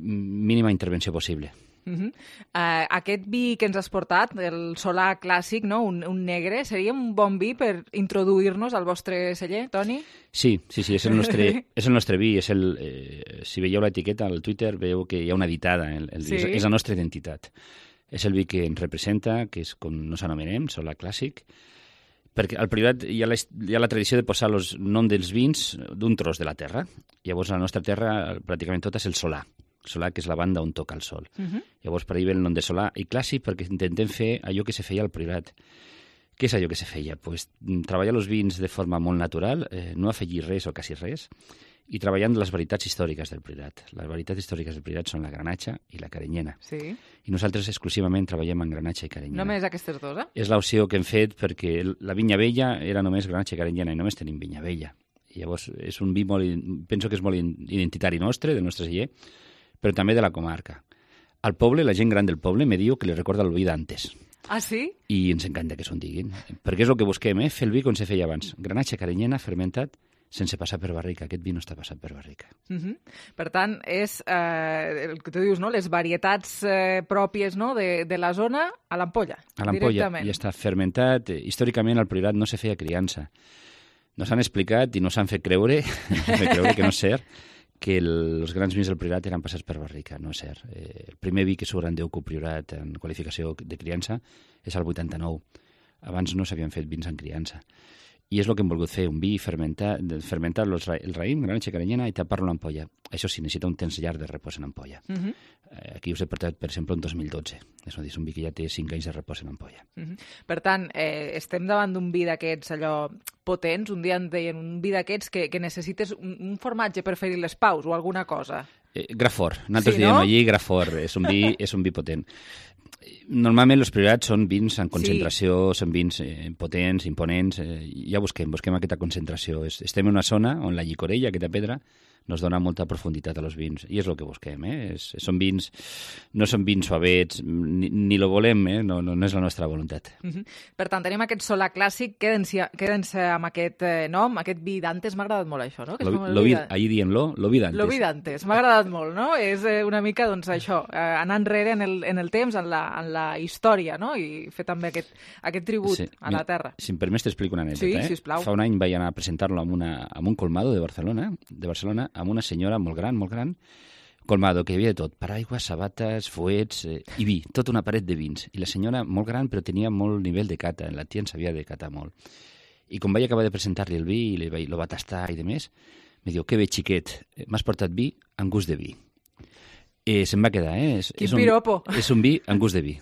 [SPEAKER 10] mínima intervenció possible.
[SPEAKER 3] Aquest vi que ens has portat, el Solà clàssic, no? un negre, seria un bon vi per introduir-nos al vostre celler, Toni?
[SPEAKER 10] Sí, és el nostre vi. Si veieu l'etiqueta al Twitter, veieu que hi ha una editada. És la nostra identitat. És el vi que ens representa, que és com nos anomenem, Solà clàssic, perquè al Priorat hi ha la tradició de posar el nom dels vins d'un tros de la terra. Llavors, a la nostra terra, pràcticament tot és el Solà. Solà, que és la banda on toca el sol. Llavors, per ahir ve el nom de Solà i clàssic perquè intentem fer allò que se feia al Priorat. Què és allò que se feia? Treballar els vins de forma molt natural, no afegir res o quasi res, i treballant les varietats històriques del Priorat. Les varietats històriques del Priorat són la granatxa i la carinyena.
[SPEAKER 3] Sí.
[SPEAKER 10] I nosaltres exclusivament treballem en granatxa i carinyena.
[SPEAKER 3] Només aquestes dues,
[SPEAKER 10] És l'opció que hem fet perquè la vinya vella era només granatxa i carinyena i només tenim vinya vella. I llavors és un vi penso que és molt identitari nostre, del nostre celler, però també de la comarca. Al poble, la gent gran del poble me diu que li recorda el vi d'antes.
[SPEAKER 3] Ah, sí?
[SPEAKER 10] I ens encanta que s'ho diguin, perquè és el que busquem, fer el vi com se feia abans. Granatxa, carinyena, fermentat, sense passar per barrica. Aquest vi no està passat per barrica.
[SPEAKER 3] Per tant, és el que tu dius, no? Les varietats pròpies, no? de la zona a l'ampolla.
[SPEAKER 10] A l'ampolla, i està fermentat. Històricament, al Priorat no se feia criança. Nos han explicat i nos han fet creure que no és cert, que els grans vins del Priorat eren passats per barrica, no és cert. El primer vi que surt en Déu Priorat en qualificació de criança és el 89. Abans no s'havien fet vins en criança. I és el que hem volgut fer, un vi fermentar el raïm, granatxa carinyena, i tapar-lo en ampolla. Això sí, necessita un temps llarg de repòs en ampolla. Aquí us he portat, per exemple, en 2012. És a dir, és un vi que ja té 5 anys de repòs en ampolla.
[SPEAKER 3] Per tant, estem davant d'un vi d'aquests allò potents, un dia en deien un vi d'aquests que necessites un formatge per fer-hi les paus o alguna cosa.
[SPEAKER 10] Grafort. Nosaltres diem allí Grafort. És un vi potent. Normalment els Priorats són vins en concentració, són vins potents, imponents, ja busquem aquesta concentració. Estem en una zona on la llicorella, aquesta pedra, nos dona molta profunditat a los vins, i és el que busquem. Són vins, no són vins suavets, ni lo volem, no és la nostra voluntat.
[SPEAKER 3] Per tant, tenim aquest Solà clàssic, queden-se amb aquest nom, aquest vi d'antes, m'ha agradat molt això, no?
[SPEAKER 10] Ahir diem lo vi d'antes.
[SPEAKER 3] Lo vi d'antes, m'ha agradat molt, no? És una mica, doncs, això, anar enrere en el temps, en la història, no? I fer també aquest tribut a la terra.
[SPEAKER 10] Si em permets t'explico una anècdota.
[SPEAKER 3] Sí, sisplau.
[SPEAKER 10] Fa un any vaig anar a presentar-lo amb un colmado de Barcelona, amb una senyora molt gran, colmado, que hi havia de tot, paraigües, sabates, fuets i vi, tota una paret de vins. I la senyora, molt gran, però tenia molt nivell de cata, la tia en sabia de catar molt. I quan vaig acabar de presentar-li el vi, i lo va tastar i demés, me diu, que bé, xiquet, m'has portat vi amb gust de vi. Se'n va quedar,
[SPEAKER 3] Quin piropo!
[SPEAKER 10] És un vi amb gust de vi.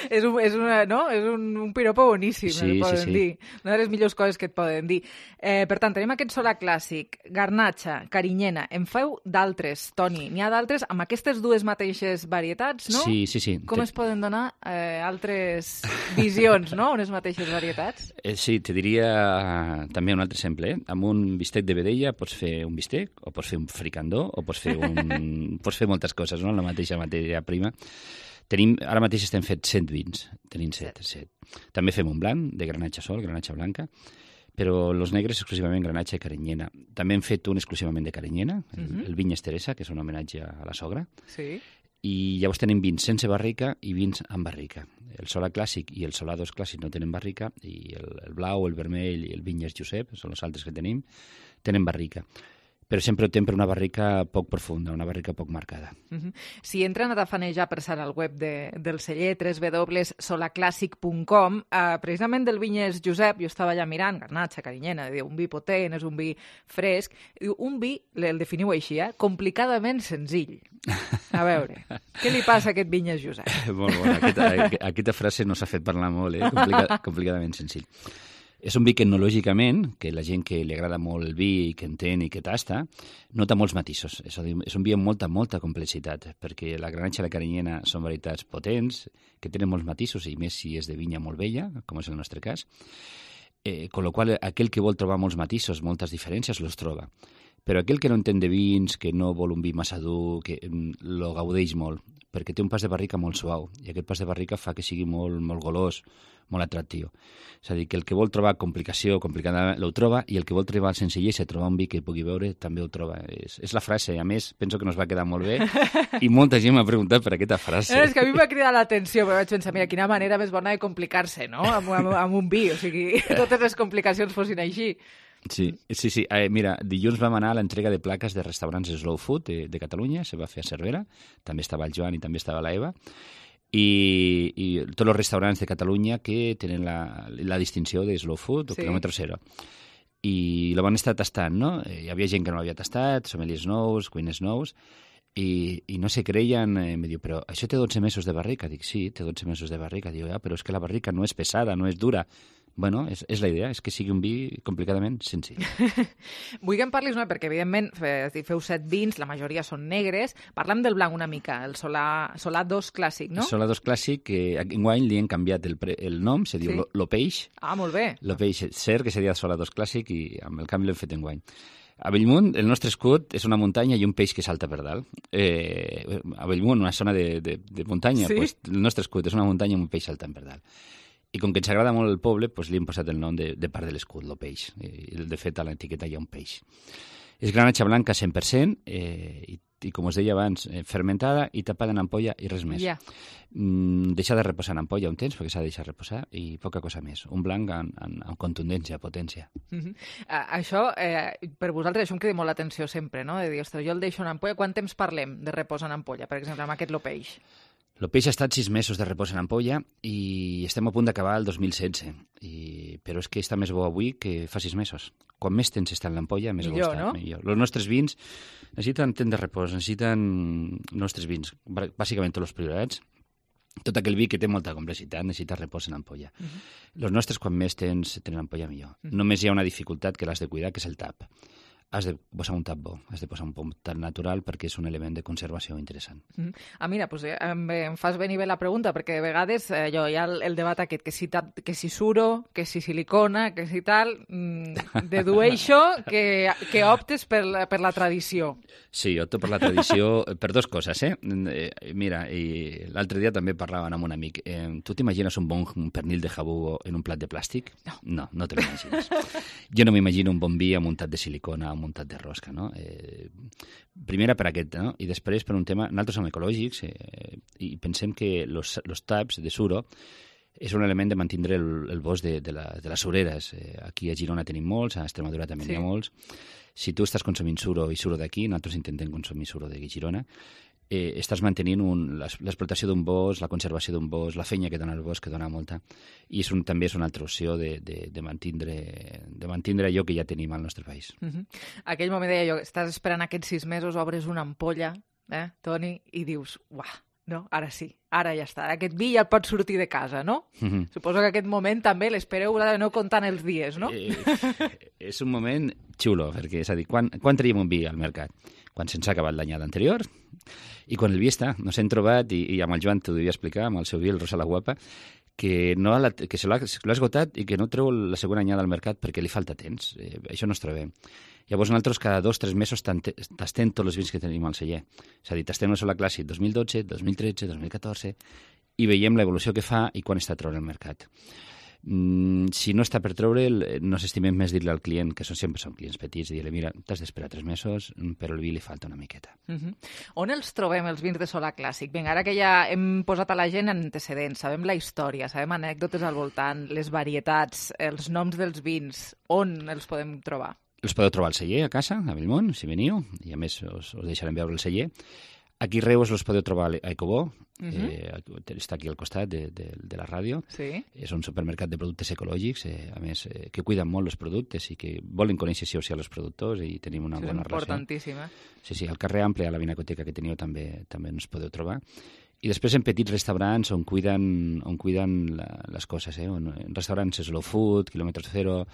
[SPEAKER 3] És un piropo boníssim,
[SPEAKER 10] sí,
[SPEAKER 3] poden
[SPEAKER 10] sí.
[SPEAKER 3] dir. Una de les millors coses que et poden dir. Per tant, tenim aquest solà clàssic, garnatxa, carinyena. En feu d'altres, Toni. N'hi ha d'altres amb aquestes dues mateixes varietats, no?
[SPEAKER 10] Sí, sí, sí.
[SPEAKER 3] Com es poden donar altres visions, no?, unes mateixes varietats?
[SPEAKER 10] Sí, te diria també un altre exemple. Amb un bistec de vedella pots fer un bistec, o pots fer un fricandó, o pots fer moltes coses, no?, la mateixa matèria prima. Ara mateix estem fent 100 vins. Tenim 7. També fem un blanc, de granatge sol, granatge blanca, però els negres exclusivament granatge i carinyena. També hem fet un exclusivament de carinyena, el Vinyes Teresa, que és un homenatge a la sogra.
[SPEAKER 3] Sí.
[SPEAKER 10] I llavors tenim vins sense barrica i vins amb barrica. El Solà clàssic i el Solà 2 clàssic no tenen barrica, i el blau, el vermell i el Vinyes Josep, són els altres que tenim, tenen barrica. Però sempre optem per una barrica poc profunda, una barrica poc marcada.
[SPEAKER 3] Si entren a tafanejar per ser al web del celler, www.solaclassic.com, precisament del Vinyes Josep, jo estava allà mirant, garnatxa, carinyena, un vi potent, és un vi fresc, un vi, el definiu així, complicadament senzill. A veure, què li passa a aquest Vinyes Josep?
[SPEAKER 10] Molt bona, aquesta frase no s'ha fet parlar molt, complicadament senzill. És un vi que etnològicament, que la gent que li agrada molt el vi i que entén i que tasta, nota molts matisos. És a dir, és un vi amb molta complexitat, perquè la granatxa i la carinyena són varietats potents, que tenen molts matisos, i més si és de vinya molt vella, com és el nostre cas. Con lo qual, aquell que vol trobar molts matisos, moltes diferències, los troba. Però aquell que no entén de vins, que no vol un vi massa dur, que lo gaudeix molt, perquè té un pas de barrica molt suau, i aquest pas de barrica fa que sigui molt golós, molt atractiu. És a dir, que el que vol trobar complicació, complicada, ho troba, i el que vol trobar senzillesa, trobar un vi que pugui veure, també ho troba. És la frase, a més, penso que nos va quedar molt bé, i molta gent m'ha preguntat per aquesta frase.
[SPEAKER 3] És que a mi m'ha cridat l'atenció, però vaig pensar, mira, quina manera més bona de complicar-se, no?, amb un vi, o sigui, totes les complicacions fossin així.
[SPEAKER 10] Sí. Mira, dilluns vam anar a l'entrega de plaques de restaurants Slow Food de Catalunya, se va fer a Cervera, també estava el Joan i també estava la Eva, i tots els restaurants de Catalunya que tenen la distinció de Slow Food o quilòmetre zero. I la van estar tastant, no? Hi havia gent que no l'havia tastat, sommeliers nous, cuiners nous, i no se creien, em diu, però això té 12 mesos de barrica? Dic, sí, té 12 mesos de barrica. Diu, però és que la barrica no és pesada, no és dura. Bueno, és la idea, és que sigui un vi complicadament senzill.
[SPEAKER 3] Vull que em parlis, perquè evidentment feu 7 vins, la majoria són negres. Parlem del blanc una mica, el Solà 2 clàssic, no?
[SPEAKER 10] El Solà 2 clàssic, que enguany li han canviat el nom, se diu Lo Peix.
[SPEAKER 3] Ah, molt bé.
[SPEAKER 10] Lo Peix, cert que seria Solà 2 clàssic, i amb el canvi l'hem fet enguany. A Bellmunt, el nostre escut és una muntanya i un peix que salta per dalt. A Bellmunt, una zona de muntanya, pues, el nostre escut és una muntanya i un peix saltant per dalt. I com que ens agrada molt el poble, doncs li hem posat el nom de part de l'escut, Lo Peix. De fet, a l'etiqueta hi ha un peix. És granatxa blanca 100%, i com us deia abans, fermentada i tapada en ampolla i res més. Deixar de reposar en ampolla un temps, perquè s'ha de deixar reposar, i poca cosa més. Un blanc amb contundència, potència.
[SPEAKER 3] Això, per vosaltres, això em crida molt l'atenció sempre, no? De dir, ostres, jo el deixo en ampolla. Quant temps parlem de repòs en ampolla, per exemple, amb aquest Lo Peix?
[SPEAKER 10] El peix ha estat 6 mesos de repòs en ampolla i estem a punt d'acabar el 2016. Però és que està més bo avui que fa 6 mesos. Quan més temps està en l'ampolla, més bo està.
[SPEAKER 3] No?
[SPEAKER 10] Millor. Els nostres vins necessiten temps de repòs, necessiten nostres vins, bàsicament tots els priorats. Tot aquell vi que té molta complexitat necessita repòs en ampolla. Els nostres, quan més temps tenen ampolla, millor. Només hi ha una dificultat que l'has de cuidar, que és el tap. Has de posar un tap bo, has de posar un tap natural perquè és un element de conservació interessant.
[SPEAKER 3] Mira, doncs em fas venir bé la pregunta, perquè de vegades hi ha el debat aquest, que si suro, que si silicona, que si tal, dedueixo que optes per la tradició.
[SPEAKER 10] Sí, opto per la tradició per dues coses, Mira, i l'altre dia també parlaven amb un amic. Tu t'imagines un bon pernil de jabú en un plat de plàstic? No te l'imagines. Jo no m'imagino un bon vi amuntat de silicona, muntat de rosca, no? Primera per aquest, no? I després per un tema... Nosaltres som ecològics i pensem que los taps de suro és un element de mantindre el bosc de les sureres. Aquí a Girona tenim molts, a Extremadura també n'hi ha molts. Si tu estàs consumint suro i suro d'aquí, nosaltres intentem consumir suro de Girona, estàs mantenint l'explotació d'un bosc, la conservació d'un bosc, la feina que dona el bosc, que dona molta, i també és una altra opció de mantindre allò que ja tenim al nostre país.
[SPEAKER 3] Aquell moment deia jo, estàs esperant aquests 6 mesos, obres una ampolla, Toni, i dius, uah, No, ara sí, ara ja està. Aquest vi ja pot sortir de casa, no? Suposo que aquest moment també l'espereu no comptant els dies, no?
[SPEAKER 10] És un moment xulo, perquè és a dir, quan traiem un vi al mercat? Quan se'ns ha acabat l'anyada anterior i quan el vi està. Nos hem trobat, i amb el Joan t'ho devia explicar, amb el seu vi, el Rosa la Guapa, que se l'ha esgotat i que no treu la segona anyada al mercat perquè li falta temps. Això no es trobem. Llavors nosaltres cada 2 o 3 mesos tastem tots els vins que tenim al celler. És a dir, tastem el Sola Clàssic 2012, 2013, 2014 i veiem l'evolució que fa i quan està treure al mercat. Si no està per treure'l, no s'estimem més dir-li al client, que sempre són clients petits, i dir-li, mira, t'has d'esperar 3 mesos, però el vi li falta una miqueta.
[SPEAKER 3] On els trobem, els vins de Sola Clàssic? Vinga, ara que ja hem posat a la gent antecedents, sabem la història, sabem anècdotes al voltant, les varietats, els noms dels vins, on els podem trobar?
[SPEAKER 10] Els podeu trobar al celler, a casa, a Bellmunt, si veniu, i a més us deixarem veure el celler. Aquí a Reus els podeu trobar a Ecobó, està aquí al costat de la ràdio.
[SPEAKER 3] Sí.
[SPEAKER 10] És un supermercat de productes ecològics, a més, que cuiden molt els productes i que volen conèixer sí o sí els productors i tenim una bona relació.
[SPEAKER 3] És importantíssim,
[SPEAKER 10] Sí, al carrer Ample, a la vinacoteca que teniu també ens podeu trobar. I després en petits restaurants on cuiden les coses, en restaurants Slow Food, Kilòmetre Zero,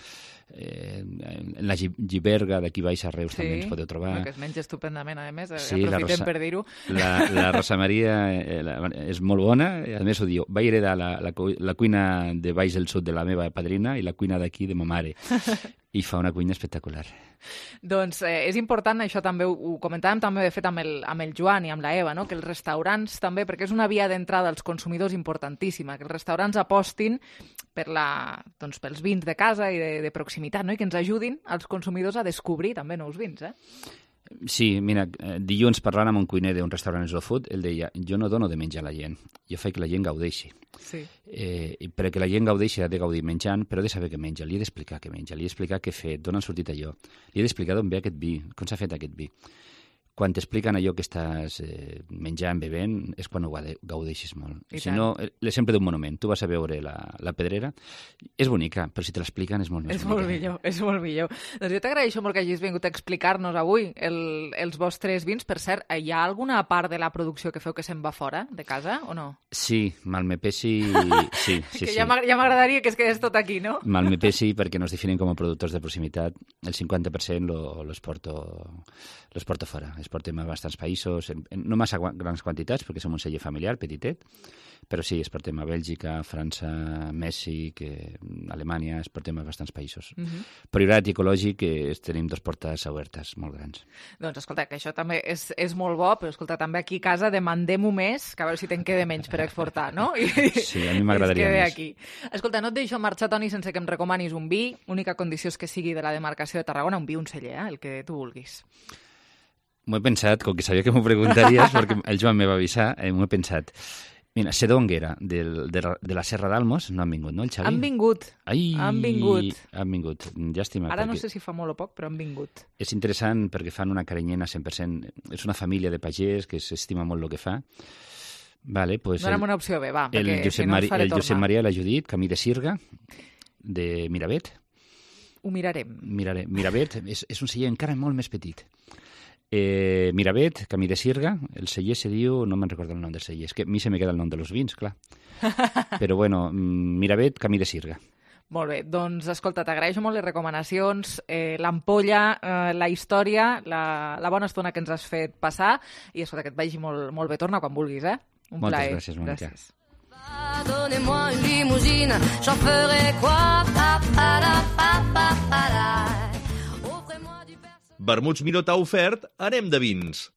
[SPEAKER 10] en la Giberga d'aquí baix a Reus també ens podeu trobar.
[SPEAKER 3] Que es menja estupendament, a més,
[SPEAKER 10] sí,
[SPEAKER 3] aprofitem per dir-ho.
[SPEAKER 10] La Rosa Maria és molt bona, a més ho diu, vaig heredar la cuina de baix del sud de la meva padrina i la cuina d'aquí de ma mare. I fa una cuina espectacular.
[SPEAKER 3] Doncs és important, això també ho comentàvem també de fet amb el Joan i amb la Eva, no? Que els restaurants també, perquè és una via d'entrada als consumidors importantíssima, que els restaurants apostin pels vins de casa i de proximitat, no? I que ens ajudin als consumidors a descobrir també nous vins,
[SPEAKER 10] Sí, mira, dilluns parlant amb un cuiner d'un restaurant slow food, ell deia, jo no dono de menjar a la gent, jo faig que la gent gaudeixi.
[SPEAKER 3] Sí.
[SPEAKER 10] Perquè la gent gaudeixi ha de gaudir menjant, però ha de saber què menja, li he d'explicar què menja, li he d'explicar què he fet, d'on han sortit allò, li he d'explicar d'on ve aquest vi, com s'ha fet aquest vi. Quan t'expliquen allò que estàs menjant, bevent, és quan ho gaudeixis molt. Si no, sempre d'un monument. Tu vas a veure la Pedrera, és bonica, però si te l'expliquen és molt més bonica.
[SPEAKER 3] És molt millor. Doncs jo t'agraeixo molt que hagis vingut a explicar-nos avui els vostres vins. Per cert, hi ha alguna part de la producció que feu que se'n va fora de casa, o no?
[SPEAKER 10] Sí, Malmepesi, sí.
[SPEAKER 3] Que ja m'agradaria que es quedés tot aquí, no?
[SPEAKER 10] Malmepesi, perquè nos definim com a productors de proximitat, el 50% l'exporto fora. Exportem a bastants països, no massa grans quantitats, perquè som un celler familiar, petitet, però sí, exportem a Bèlgica, França, Mèxic, Alemanya, exportem a bastants països. Prioritat ecològic, tenim 2 portes obertes molt grans.
[SPEAKER 3] Doncs escolta, que això també és molt bo, però escolta, també aquí a casa demandem-ho més, que a veure si te'n queda menys per exportar, no?
[SPEAKER 10] Sí, a mi m'agradaria més.
[SPEAKER 3] Aquí. Escolta, no et deixo marxar, Toni, sense que em recomanis un vi, única condició és que sigui de la demarcació de Tarragona, un vi, un celler, el que tu vulguis.
[SPEAKER 10] M'ho he pensat, com que sabia que m'ho preguntaries, perquè el Joan me va avisar, m'ho he pensat. Mira, Sedonguera, de la Serra d'Almos, no han vingut, no, el Xavi?
[SPEAKER 3] Han vingut. Han
[SPEAKER 10] vingut. Llàstima.
[SPEAKER 3] Ara no sé si fa molt o poc, però han vingut.
[SPEAKER 10] És interessant perquè fan una carinyena 100%. És una família de pagès que s'estima molt el que fa. Vale, pues
[SPEAKER 3] no era una opció bé, va, perquè si no ens faré tornar.
[SPEAKER 10] El Josep Maria i la Judit, Camí de Sirga, de Miravet.
[SPEAKER 3] Ho mirarem.
[SPEAKER 10] Miravet és un celler encara molt més petit. Miravet, Camí de Sirga, el celler se diu, no me'n recordo el nom del celler, és que a mi se me queda el nom de los vins, clar. Però bueno, Miravet, Camí de Sirga.
[SPEAKER 3] Molt bé, doncs escolta, t'agraeixo molt les recomanacions, l'ampolla, la història, la bona estona que ens has fet passar i escolta, que et vagi molt bé, torna quan vulguis, Un
[SPEAKER 10] Moltes
[SPEAKER 3] plaer.
[SPEAKER 10] Gràcies, Mónica.
[SPEAKER 9] Donnez-moi une limousine, j'en ferai quoi?
[SPEAKER 8] Vermuts Miró t'ha ofert Anem de vins.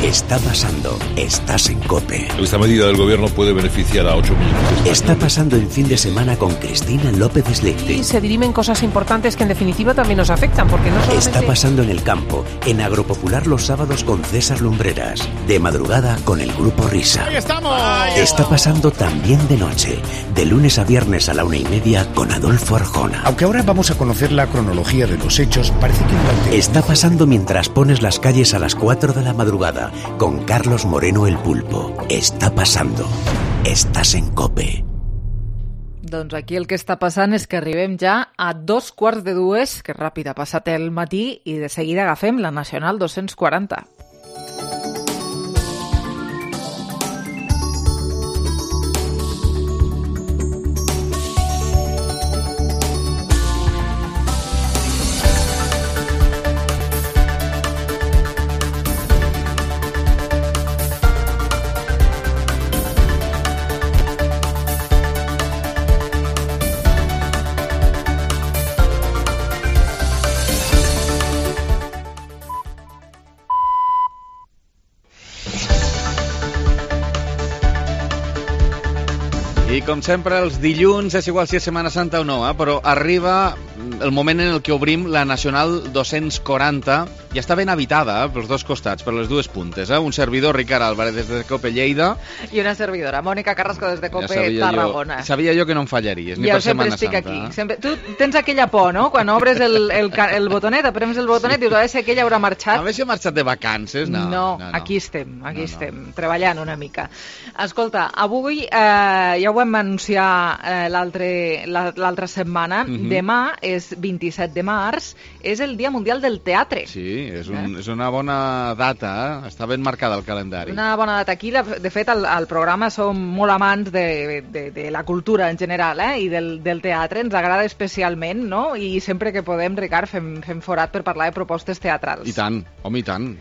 [SPEAKER 2] Está pasando, estás en COPE.
[SPEAKER 12] Esta medida del gobierno puede beneficiar a 8 millones de españoles.
[SPEAKER 2] Está pasando el fin de semana con Cristina López Slichting.
[SPEAKER 13] Y se dirimen cosas importantes que en definitiva también nos afectan, porque no solamente...
[SPEAKER 2] Está pasando en el campo, en Agropopular los sábados con César Lumbreras, de madrugada con el Grupo Risa.
[SPEAKER 14] ¡Ahí estamos!
[SPEAKER 2] Está pasando también de noche, de lunes a viernes a la 1:30 con Adolfo Arjona.
[SPEAKER 15] Aunque ahora vamos a conocer la cronología de los hechos, parece que durante...
[SPEAKER 2] Está pasando mientras pones las calles a las 4 de la madrugada con Carlos Moreno el Pulpo. Está pasando. Estás en COPE.
[SPEAKER 3] Doncs aquí el que està passant és que arribem ja a 2:45, que ràpid ha passat el matí, i de seguida agafem la Nacional 240.
[SPEAKER 7] I com sempre, els dilluns, és igual si és Setmana Santa o no, però arriba el moment en el que obrim la Nacional 240. Ja està ben habitada pels dos costats, per les dues puntes. Un servidor, Ricard Álvarez, des de COPE Lleida.
[SPEAKER 3] I una servidora, Mònica Carrasco, des de COPE Tarragona.
[SPEAKER 7] Sabia jo que no em fallaries, ni per Setmana Santa.
[SPEAKER 3] Aquí. Sempre, tu tens aquella por, no? Quan obres el botonet, aprems el botonet, dius, a veure si aquella haurà marxat.
[SPEAKER 7] A veure si ha marxat de vacances, no.
[SPEAKER 3] No, aquí estem, treballant una mica. Escolta, avui ja ho vam anunciar l'altra setmana. Demà és 27 de març, és el Dia Mundial del Teatre.
[SPEAKER 7] Sí, és una bona data, està ben marcada al calendari.
[SPEAKER 3] Una bona data. Aquí, de fet, al programa som molt amants de la cultura en general, i del teatre, ens agrada especialment, no? I sempre que podem, Ricard, fem forat per parlar de propostes teatrals.
[SPEAKER 7] I tant, home, i tant.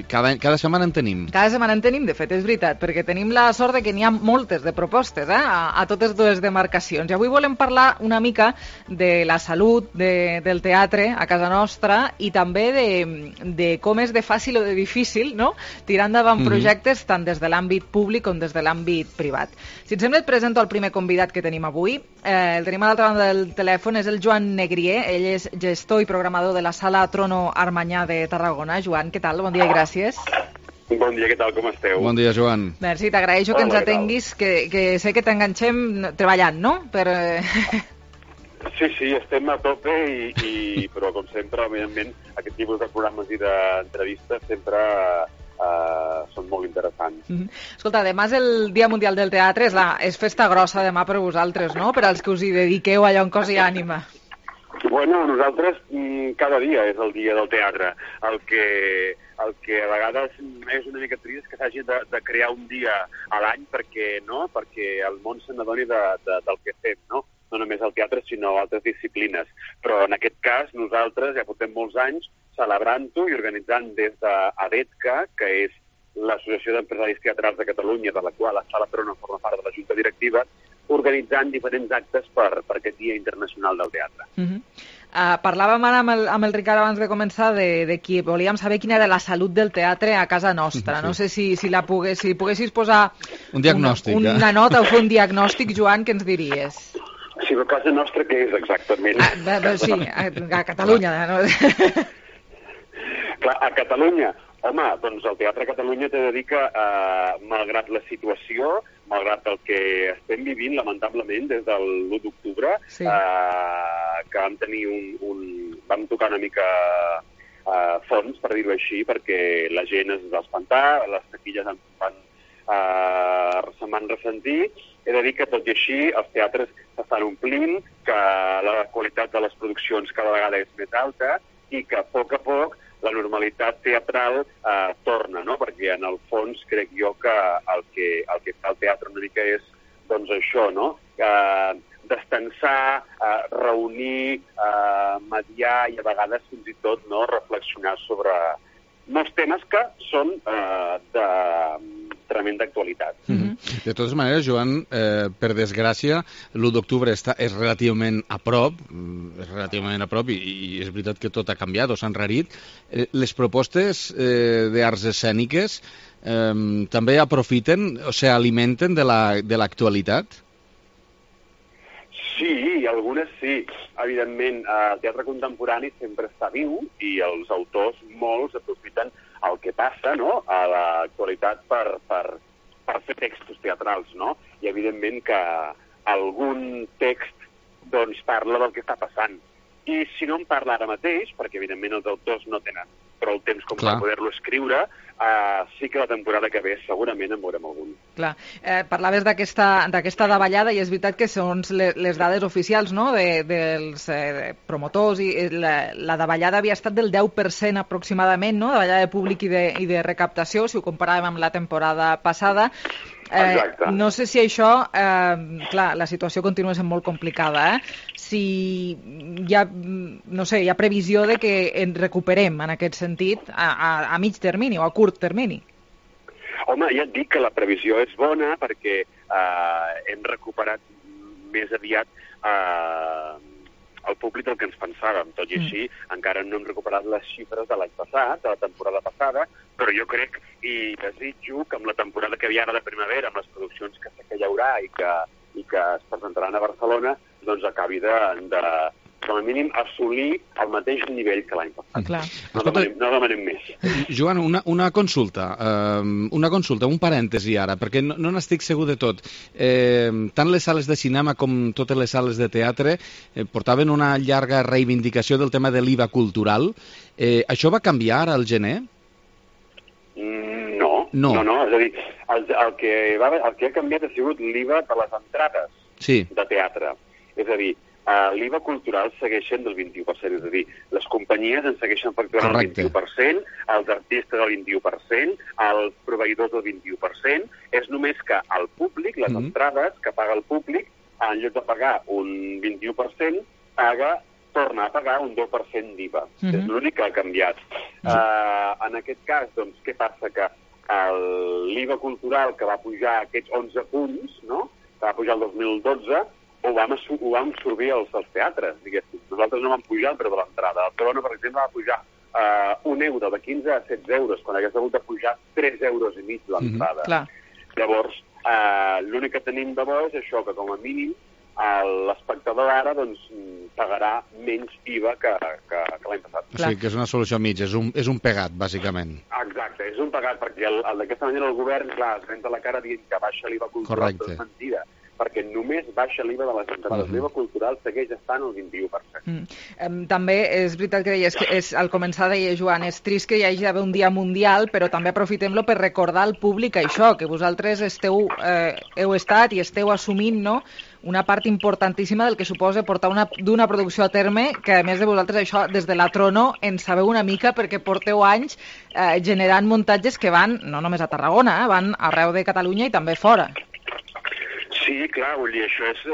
[SPEAKER 7] Cada setmana en tenim.
[SPEAKER 3] Cada setmana en tenim, de fet, és veritat, perquè tenim la sort de que n'hi ha moltes de propostes, a totes dues demarcacions. I avui volem parlar una mica de la salut del teatre a casa nostra i també de com és de fàcil o de difícil, no?, tirar endavant projectes tant des de l'àmbit públic com des de l'àmbit privat. Si et sembla, et presento el primer convidat que tenim avui. El tenim a l'altra banda del telèfon, és el Joan Negrier. Ell és gestor i programador de la Sala Trono Armanyà de Tarragona. Joan, què tal? Bon dia i gràcies.
[SPEAKER 14] Bon dia, què tal? Com esteu?
[SPEAKER 7] Bon dia, Joan.
[SPEAKER 3] Merci, t'agraeixo que ens atenguis, que sé que t'enganxem treballant, no?
[SPEAKER 14] Sí, estem a tope, però com sempre, evidentment, aquest tipus de programes i d'entrevistes sempre són molt interessants.
[SPEAKER 3] Escolta, demà és el Dia Mundial del Teatre, és festa grossa demà per vosaltres, no?, per als que us hi dediqueu allò en cos i ànima.
[SPEAKER 14] Bueno, nosaltres cada dia és el dia del teatre. El que a vegades és una mica trist que s'hagi de crear un dia a l'any perquè el món se n'adoni del que fem, no? No només el teatre, sinó altres disciplines. Però en aquest cas, nosaltres ja portem molts anys celebrant-ho i organitzant des d'ADETCA, que és l'Associació d'Empresaris Teatrals de Catalunya, de la qual la Sala Trono forma part de la Junta Directiva, organitzant diferents actes per aquest Dia Internacional del Teatre.
[SPEAKER 3] Parlàvem ara amb el Ricard abans de començar de qui volíem saber quina era la salut del teatre a casa nostra. No sé si poguessis posar
[SPEAKER 7] un diagnòstic,
[SPEAKER 3] una nota o fer un diagnòstic, Joan, què ens diries?
[SPEAKER 14] Sí, però a casa nostra què és exactament?
[SPEAKER 3] Sí, a Catalunya. No?
[SPEAKER 14] Clar, a Catalunya, home, doncs el Teatre a Catalunya t'he de dir que, malgrat la situació, malgrat el que estem vivint, lamentablement, des de l'1 d'octubre, que vam tenir vam tocar una mica fons, per dir-ho així, perquè la gent es va espantar, les taquilles se'n van ressentir. He de dir que, tot i així, els teatres s'estan omplint, que la qualitat de les produccions cada vegada és més alta i que, a poc la normalitat teatral torna, no? Perquè, en el fons, crec jo que el que fa el teatre una mica és, doncs, això, no? Destensar, reunir, mediar i, a vegades, fins i tot, no, reflexionar sobre molts temes que són de tremenda actualitat.
[SPEAKER 7] De totes maneres, Joan, per desgràcia, l'1 d'octubre és relativament a prop, i és veritat que tot ha canviat o s'ha enrarit. Les propostes d'arts escèniques també aprofiten, o sigui, alimenten de l'actualitat?
[SPEAKER 14] Sí, algunes sí. Evidentment, el teatre contemporani sempre està viu i els autors, molts, aprofiten el que passa, no?, a l'actualitat per fer textos teatrals, no? I, evidentment, que algun text, doncs, parla del que està passant. I si no en parla ara mateix, perquè, evidentment, els autors no tenen prou temps com per poder-lo escriure, sí que la temporada que ve segurament en veurem algun.
[SPEAKER 3] Clar. Parlaves d'aquesta davallada i és veritat que són les dades oficials, no?, dels promotors, i la davallada havia estat del 10% aproximadament, no?, davallada de públic i de recaptació, si ho comparàvem amb la temporada passada. No sé si això, clar, la situació continua sent molt complicada, si hi ha, no sé, hi ha previsió de que ens recuperem en aquest sentit a mig termini o a curt termini.
[SPEAKER 14] Home, ja et dic que la previsió és bona perquè hem recuperat més aviat el públic del que ens pensàvem. Tot i així, encara no hem recuperat les xifres de l'any passat, de la temporada passada, però jo crec i desitjo que amb la temporada que hi ha ara de primavera, amb les produccions que sé que hi haurà i que que es presentaran a Barcelona doncs acabi de com a mínim, assolir el mateix nivell que l'any passat. No demanem més.
[SPEAKER 16] Joan, una consulta, un parèntesi ara, perquè no n'estic segur de tot. Tant les sales de cinema com totes les sales de teatre portaven una llarga reivindicació del tema de l'IVA cultural. Això va canviar al gener?
[SPEAKER 14] No. És a dir, el que ha canviat ha sigut l'IVA de les entrades de teatre. És a dir, l'IVA cultural segueix sent del 21%, és a dir, les companyies en segueixen facturant el 21%, els artistes el 21%, els proveïdors el 21%, és només que el públic, les entrades que paga el públic, en lloc de pagar un 21%, torna a pagar un 10% d'IVA. És l'únic que ha canviat. En aquest cas, doncs, què passa? Que l'IVA cultural que va pujar aquests 11 punts, no?, que va pujar el 2012, ho vam absorbir als teatres, diguéssim. Nosaltres no vam pujar el preu de l'entrada. El Corona, per exemple, va pujar un euro de 15 a 16 euros, quan hagués hagut de pujar 3 euros i mig l'entrada. Llavors, l'únic que tenim de bo és això, que com a mínim l'espectador ara pagarà menys IVA que l'any passat.
[SPEAKER 16] O sigui que és una solució mitja, és un pegat, bàsicament.
[SPEAKER 14] Exacte, és un pegat, perquè d'aquesta manera el govern, clar, es renta la cara dient que baixa l'IVA cultural, però és mentida, perquè només baixa l'IVA de les entrades. L'IVA cultural segueix estant al 21%.
[SPEAKER 3] També és veritat que deies que al començar deia Joan, és trist que hi hagi d'haver un dia mundial, però també aprofitem-lo per recordar al públic això, que vosaltres heu estat i esteu assumint, no?, una part importantíssima del que suposa portar d'una producció a terme, que a més de vosaltres això, des de la Trono, en sabeu una mica perquè porteu anys generant muntatges que van, no només a Tarragona, van arreu de Catalunya i també fora.
[SPEAKER 14] Sí, clar, vull dir, això és...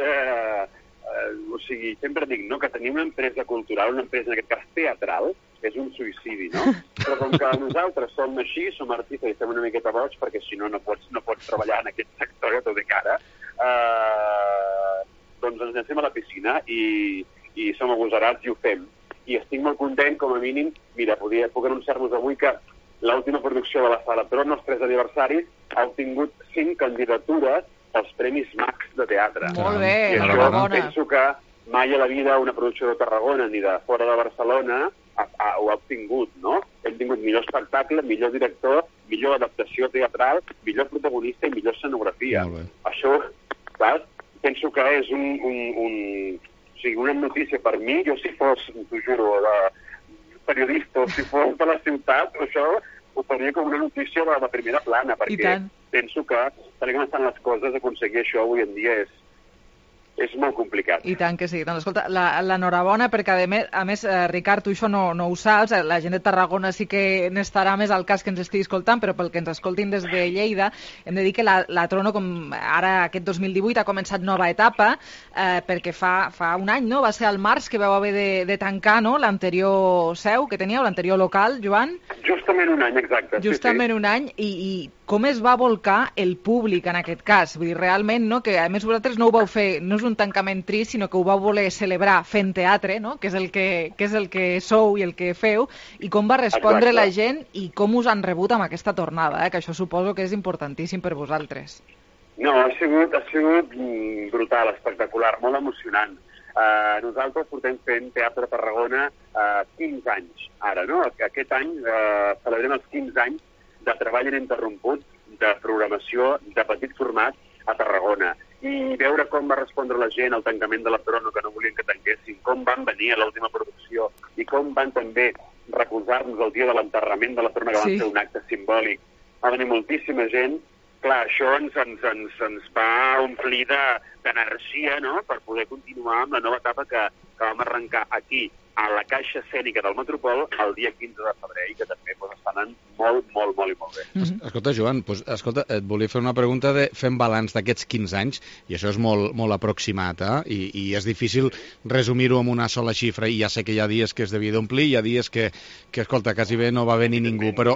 [SPEAKER 14] o sigui, sempre dic, no?, que tenir una empresa cultural, una empresa, en aquest cas teatral, és un suïcidi, no? Però com que nosaltres som així, som artistes i estem una miqueta boig, perquè si no pots treballar en aquest sector a tot de cara, doncs ens llancem a la piscina i som agosarats i ho fem. I estic molt content, com a mínim, mira, puc anunciar-vos avui que l'última producció de la Sala Trono, els 3 aniversaris, ha obtingut 5 candidatures als Premis Max de teatre.
[SPEAKER 3] Molt bé,
[SPEAKER 14] I això penso que mai a la vida una producció de Tarragona ni de fora de Barcelona ho ha obtingut, no? Hem tingut millor espectacle, millor director, millor adaptació teatral, millor protagonista i millor escenografia. Això, clar, penso que és una notícia per mi. Jo, si fos, t'ho juro, periodista, o si fos de la ciutat, això ho faria com una notícia de la primera plana, perquè penso que, tal com estan les coses, aconseguir això avui en dia és molt complicat.
[SPEAKER 3] I tant que sí. Doncs escolta, l'enhorabona, perquè a més, Ricard, tu això no ho saps, la gent de Tarragona sí que n'estarà més al cas que ens estigui escoltant, però pel que ens escoltin des de Lleida, hem de dir que la Trono, com ara aquest 2018, ha començat nova etapa, perquè fa un any, no?, va ser al març que vau haver de tancar, no?, l'anterior seu que teníeu, l'anterior local, Joan?
[SPEAKER 14] Justament un any, exacte.
[SPEAKER 3] Justament un any, i com es va volcar el públic en aquest cas? Vull dir, realment, no?, que a més vosaltres no ho vau fer, no és un tancament trist, sinó que ho vau voler celebrar fent teatre, no?, que és el que sou i el que feu, i com va respondre la gent i com us han rebut amb aquesta tornada, que això suposo que és importantíssim per vosaltres.
[SPEAKER 14] No, ha sigut brutal, espectacular, molt emocionant. Nosaltres portem fent teatre a Tarragona 15 anys ara, no? Aquest any celebrem els 15 anys de treball ininterromput de programació de petit format a Tarragona. I veure com va respondre la gent al tancament de la Trono, que no volien que tanquessin, com van venir a l'última producció i com van també recolzar-nos el dia de l'enterrament de la Trono, que van fer un acte simbòlic. Va venir moltíssima gent. Clar, això ens va omplir d'energia, no?, per poder continuar amb la nova etapa que vam arrencar aquí, a la Caixa Escènica del Metropol, el dia 15 de febrer, i que també estan anant molt bé.
[SPEAKER 16] Escolta, Joan, et volia fer una pregunta de fem balanç d'aquests 15 anys, i això és molt aproximat, i és difícil resumir-ho amb una sola xifra, i ja sé que hi ha dies que es devia d'omplir, hi ha dies que, escolta, quasi bé no va venir ningú, però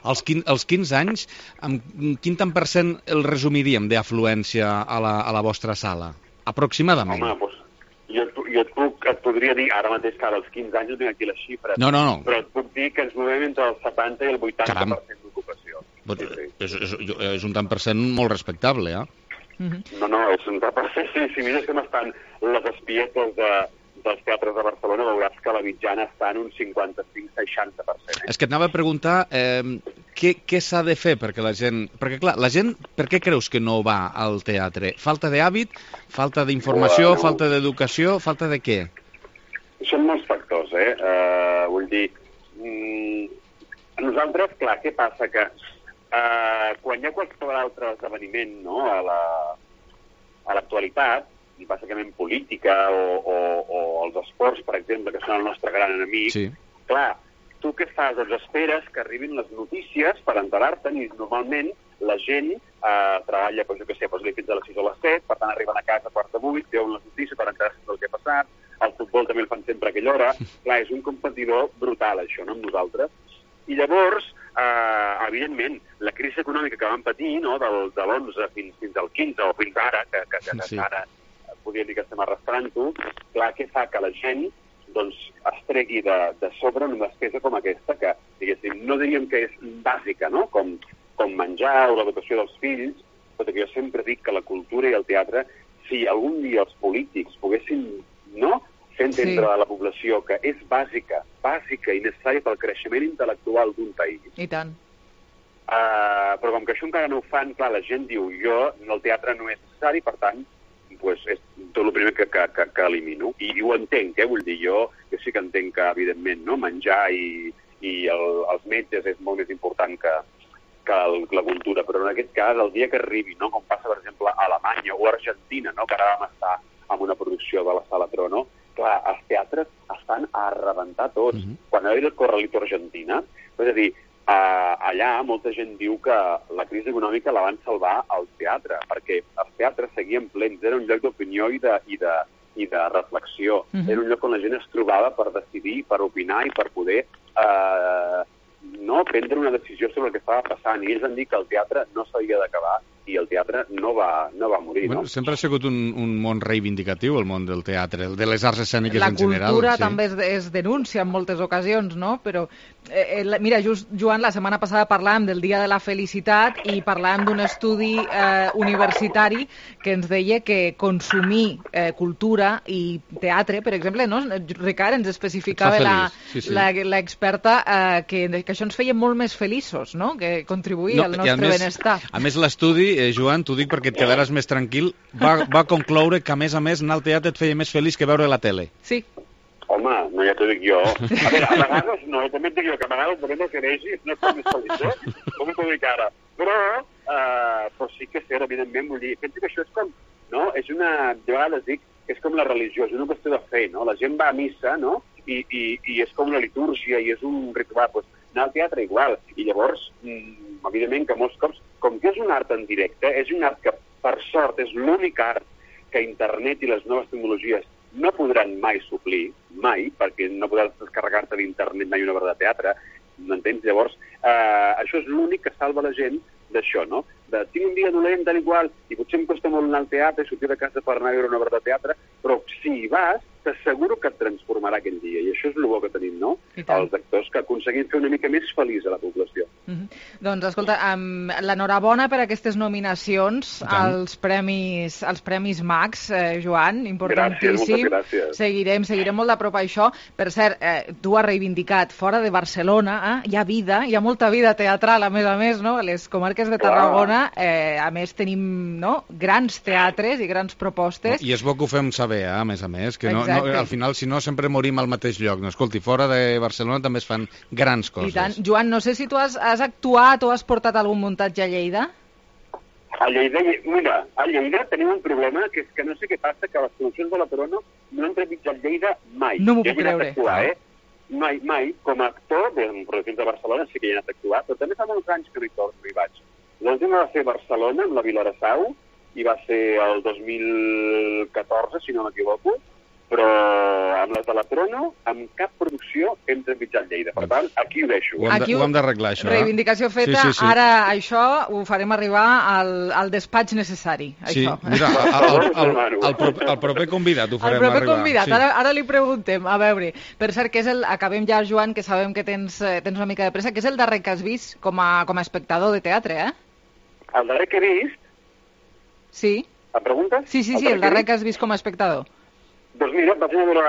[SPEAKER 16] als 15 anys, amb quin tant % el resumiríem d'afluència a la vostra sala? Aproximadament.
[SPEAKER 14] Home, doncs, jo et podria dir, ara mateix, que als 15 anys no tinc aquí les xifres,
[SPEAKER 16] no.
[SPEAKER 14] Però et puc dir que ens movem entre el 70 i el 80% d'ocupació.
[SPEAKER 16] És un tant % molt respectable,
[SPEAKER 14] No, és un tant si mires com estan les espietes dels teatres de Barcelona, veuràs que la mitjana està en un 55-60%.
[SPEAKER 16] És que et anava a preguntar què s'ha de fer perquè la gent... Perquè, clar, la gent, per què creus que no va al teatre? Falta d'hàbit? Falta d'informació? Falta d'educació? Falta de què?
[SPEAKER 14] Són molts factors, vull dir, nosaltres, clar, què passa? Que quan hi ha qualsevol altre esdeveniment, no?, a l'actualitat, i bàsicament política o els esports, per exemple, que són el nostre gran enemic, sí. Clar, tu què fas? Doncs esperes que arribin les notícies per enterar-te'n i normalment la gent treballa, doncs jo què sé, fins a les 6 o les 7, per tant arriben a casa a 7:45, veuen les notícies per enterar-se del que ha passat, el futbol també el fan sempre a aquella hora, clar, és un competidor brutal això, no?, amb nosaltres. I llavors, evidentment, la crisi econòmica que vam patir, no?, de l'11 fins al 15 o fins ara, que sí. Ara podria dir que estem arrastrant-ho, clar, què fa? Que la gent doncs, es tregui de sobre una despesa com aquesta, que, diguéssim, no diríem que és bàsica, no?, com menjar o l'educació dels fills, però que jo sempre dic que la cultura i el teatre, si algun dia els polítics poguessin, no?, fer entendre a la població que és bàsica i necessària pel creixement intel·lectual d'un país.
[SPEAKER 3] I tant.
[SPEAKER 14] Però com que això encara no ho fan, clar, la gent diu, el teatre no és necessari, per tant, pues és tot el primer que elimino. I ho entenc, vull dir, jo sí que entenc que, evidentment, no, menjar i els metges és molt més important que la cultura, però en aquest cas, el dia que arribi, no, com passa, per exemple, a Alemanya o a Argentina, no, que ara vam estar en una producció de la Sala Trono, clar, els teatres estan a rebentar tots. Quan va haver el Corralito a Argentina, és a dir, allà molta gent diu que la crisi econòmica la van salvar al teatre, perquè els teatres seguien plens, era un lloc d'opinió i de reflexió, era un lloc on la gent es trobava per decidir, per opinar i per poder prendre una decisió sobre el que estava passant, i ells van dir que el teatre no s'havia d'acabar i el teatre no va morir.
[SPEAKER 16] Bueno, sempre ha sigut un món reivindicatiu, el món del teatre, el de les arts escèniques en general.
[SPEAKER 3] La cultura també es denuncia en moltes ocasions, no? Però, mira, Joan, la setmana passada parlàvem del Dia de la Felicitat i parlàvem d'un estudi universitari que ens deia que consumir cultura i teatre, per exemple, no? Ricard ens especificava l'experta que això ens feia molt més feliços, no? Que contribuïa al nostre benestar.
[SPEAKER 16] A més, l'estudi, Joan, t'ho dic perquè et quedaràs més tranquil, va concloure que, a més, anar al teatre et feia més feliç que veure la tele.
[SPEAKER 3] Sí.
[SPEAKER 14] Home, no, ja t'ho dic jo. A veure, a vegades no, també et dic jo que a vegades depèn del que vegi, no és més feliç, com t'ho dic ara. Però sí que és cert, evidentment, vull dir, penso que això és com, no? És una, de vegades dic que és com la religió, és una qüestió de fe, no? La gent va a missa, no? I és com una litúrgia i és un ritual, doncs anar al teatre igual. I llavors, evidentment que molts cops, com que és un art en directe, és un art que, per sort, és l'únic art que internet i les noves tecnologies no podran mai suplir, mai, perquè no podràs descarregar-te d'internet mai una obra de teatre, m'entens? Llavors, això és l'únic que salva la gent d'això, no? Tinc un dia dolent, tal igual, i potser em costa molt anar al teatre, sortir de casa per anar a veure una obra de teatre, però si hi vas, t'asseguro que et transformarà aquell dia, i això és el bo que tenim, no? Els actors, que aconseguim fer una mica més feliç a la població.
[SPEAKER 3] Doncs, escolta, l'enhorabona per aquestes nominacions als Premis Max, Joan, importantíssim.
[SPEAKER 14] Gràcies.
[SPEAKER 3] Seguirem molt de prop això. Per cert, tu has reivindicat, fora de Barcelona, hi ha vida, hi ha molta vida teatral, a més, no? A les comarques de Tarragona, a més, tenim grans teatres i grans propostes.
[SPEAKER 16] I és bo que ho fem saber, a més, que al final, si no, sempre morim al mateix lloc. No, escolti, fora de Barcelona també es fan grans coses.
[SPEAKER 3] I tant. Joan, no sé si tu has actuat o has portat algun muntatge a Lleida?
[SPEAKER 14] A Lleida, mira, a Lleida tenim un problema, que és que no sé què passa, que les produccions de la Trono no han trepitjat Lleida mai.
[SPEAKER 3] No m'ho puc creure.
[SPEAKER 14] Mai. Com a actor, en produccions de Barcelona sí que hi he anat a actuar, però també fa molts anys que no hi vaig. L'última va ser a Barcelona, amb la Vilarasau, i va ser el 2014, si no m'equivoco, però amb la Teletrono, amb cap producció hem trepitjat Lleida. Per tant, aquí ho deixo.
[SPEAKER 16] Ho hem d'arreglar, això.
[SPEAKER 3] Reivindicació feta. Sí. Ara això ho farem arribar al despatx necessari.
[SPEAKER 16] Sí,
[SPEAKER 3] això.
[SPEAKER 16] Mira, el proper convidat ho farem arribar.
[SPEAKER 3] El proper convidat, ara li preguntem. A veure, per cert, que és acabem ja, Joan, que sabem que tens una mica de pressa, que és el darrer que has vist com a espectador de teatre, eh?
[SPEAKER 14] El darrer que he vist?
[SPEAKER 3] Sí.
[SPEAKER 14] Em preguntes?
[SPEAKER 3] Sí, el darrer que has vist com a espectador.
[SPEAKER 14] Doncs mira, vaig anar a veure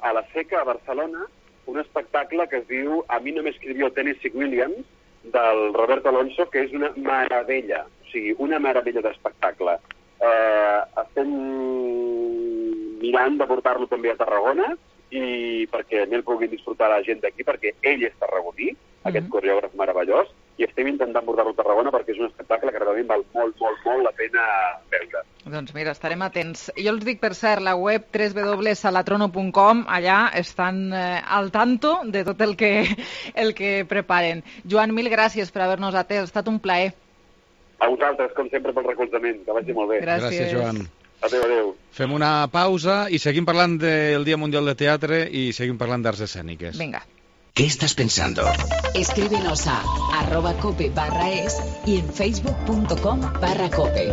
[SPEAKER 14] a la Seca, a Barcelona, un espectacle que es diu A mi no me escribió Tennessee Williams, del Roberto Alonso, que és una meravella, o sigui, una meravella d'espectacle. Estem mirant de portar-lo també a Tarragona, i perquè el puguin disfrutar la gent d'aquí, perquè ell és tarragoní, aquest coreògraf meravellós, i estem intentant portar-lo a Tarragona perquè és un espectacle que realment val molt, molt, molt la pena veure.
[SPEAKER 3] Doncs mira, estarem atents. Jo els dic, per cert, la web www.salatrono.com, allà estan al tanto de tot el que preparen. Joan, mil gràcies per haver-nos atès, ha estat un plaer.
[SPEAKER 14] A vosaltres, com sempre, pel recolzament, que vagi molt bé.
[SPEAKER 16] Gràcies, Joan.
[SPEAKER 14] Adéu.
[SPEAKER 16] Fem una pausa i seguim parlant del Dia Mundial de Teatre i seguim parlant d'arts escèniques.
[SPEAKER 3] Venga.
[SPEAKER 2] ¿Qué estás pensando?
[SPEAKER 18] Escríbenos a @cope/es y en facebook.com/cope.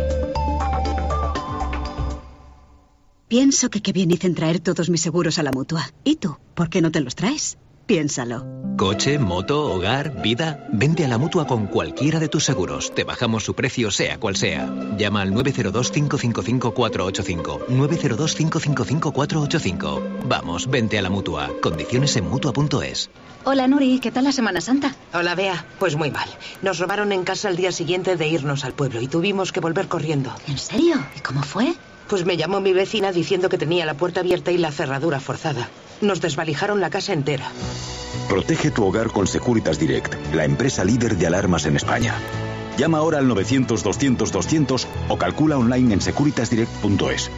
[SPEAKER 19] Pienso que qué bien hice en traer todos mis seguros a la Mutua. ¿Y tú? ¿Por qué no te los traes? Piénsalo.
[SPEAKER 22] Coche, moto, hogar, vida. Vente a la Mutua con cualquiera de tus seguros. Te bajamos su precio sea cual sea. Llama al 902-555-485. 902-555-485. Vamos, vente a la Mutua. Condiciones en Mutua.es.
[SPEAKER 19] Hola, Nuri, ¿qué tal la Semana Santa?
[SPEAKER 23] Hola, Bea. Pues muy mal. Nos robaron en casa el día siguiente de irnos al pueblo y tuvimos que volver corriendo.
[SPEAKER 19] ¿En serio? ¿Y cómo fue?
[SPEAKER 23] Pues me llamó mi vecina diciendo que tenía la puerta abierta y la cerradura forzada. Nos desvalijaron la casa entera.
[SPEAKER 24] Protege tu hogar con Securitas Direct, la empresa líder de alarmas en España. Llama ahora al 900-200-200 o calcula online en securitasdirect.es.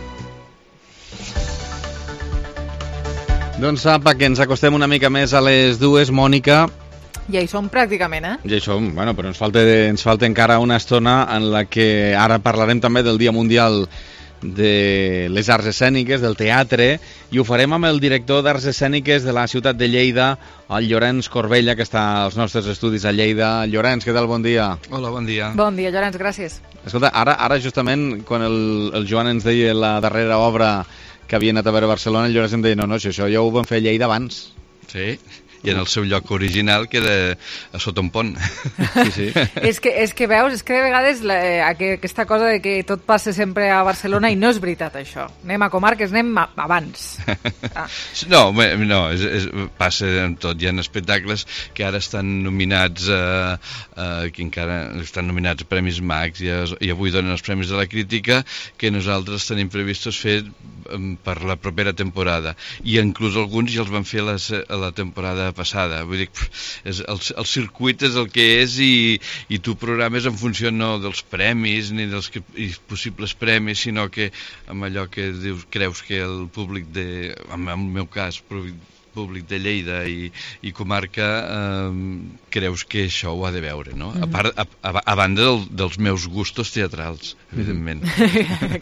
[SPEAKER 16] Doncs apa, que ens acostem una mica més a les dues, Mònica.
[SPEAKER 3] Ja hi som pràcticament, eh?
[SPEAKER 16] Ja hi som, bueno, però ens falta encara una estona en la que ara parlarem també del Dia Mundial de les Arts Escèniques, del teatre, i ho farem amb el director d'Arts Escèniques de la ciutat de Lleida, el Llorenç Corbella, que està als nostres estudis a Lleida. Llorenç, què tal? Bon dia.
[SPEAKER 25] Hola, bon dia.
[SPEAKER 3] Bon dia, Llorenç, gràcies.
[SPEAKER 16] Escolta, ara justament, quan el Joan ens deia la darrera obra que havia anat a veure a Barcelona, el Llorenç em deia, no, això ja ho vam fer a Lleida abans.
[SPEAKER 25] Sí, i en el seu lloc original, que era a sota un pont.
[SPEAKER 16] Sí.
[SPEAKER 3] És que veus, de vegades aquesta cosa de que tot passa sempre a Barcelona, i no és veritat, això. Anem a comarques, anem abans.
[SPEAKER 25] No, passa en tot. Hi ha espectacles que ara estan nominats que encara estan nominats a Premis Max i avui donen els Premis de la Crítica, que nosaltres tenim previstos fer per la propera temporada, i inclús alguns ja els van fer a la temporada passada. Vull dir, el circuit és el que és, i tu programes en funció no dels premis ni dels possibles premis, sinó que amb allò que creus que el públic en el meu cas, públic de Lleida i comarca, creus que això ho ha de veure, no? A banda dels meus gustos teatrals, evidentment.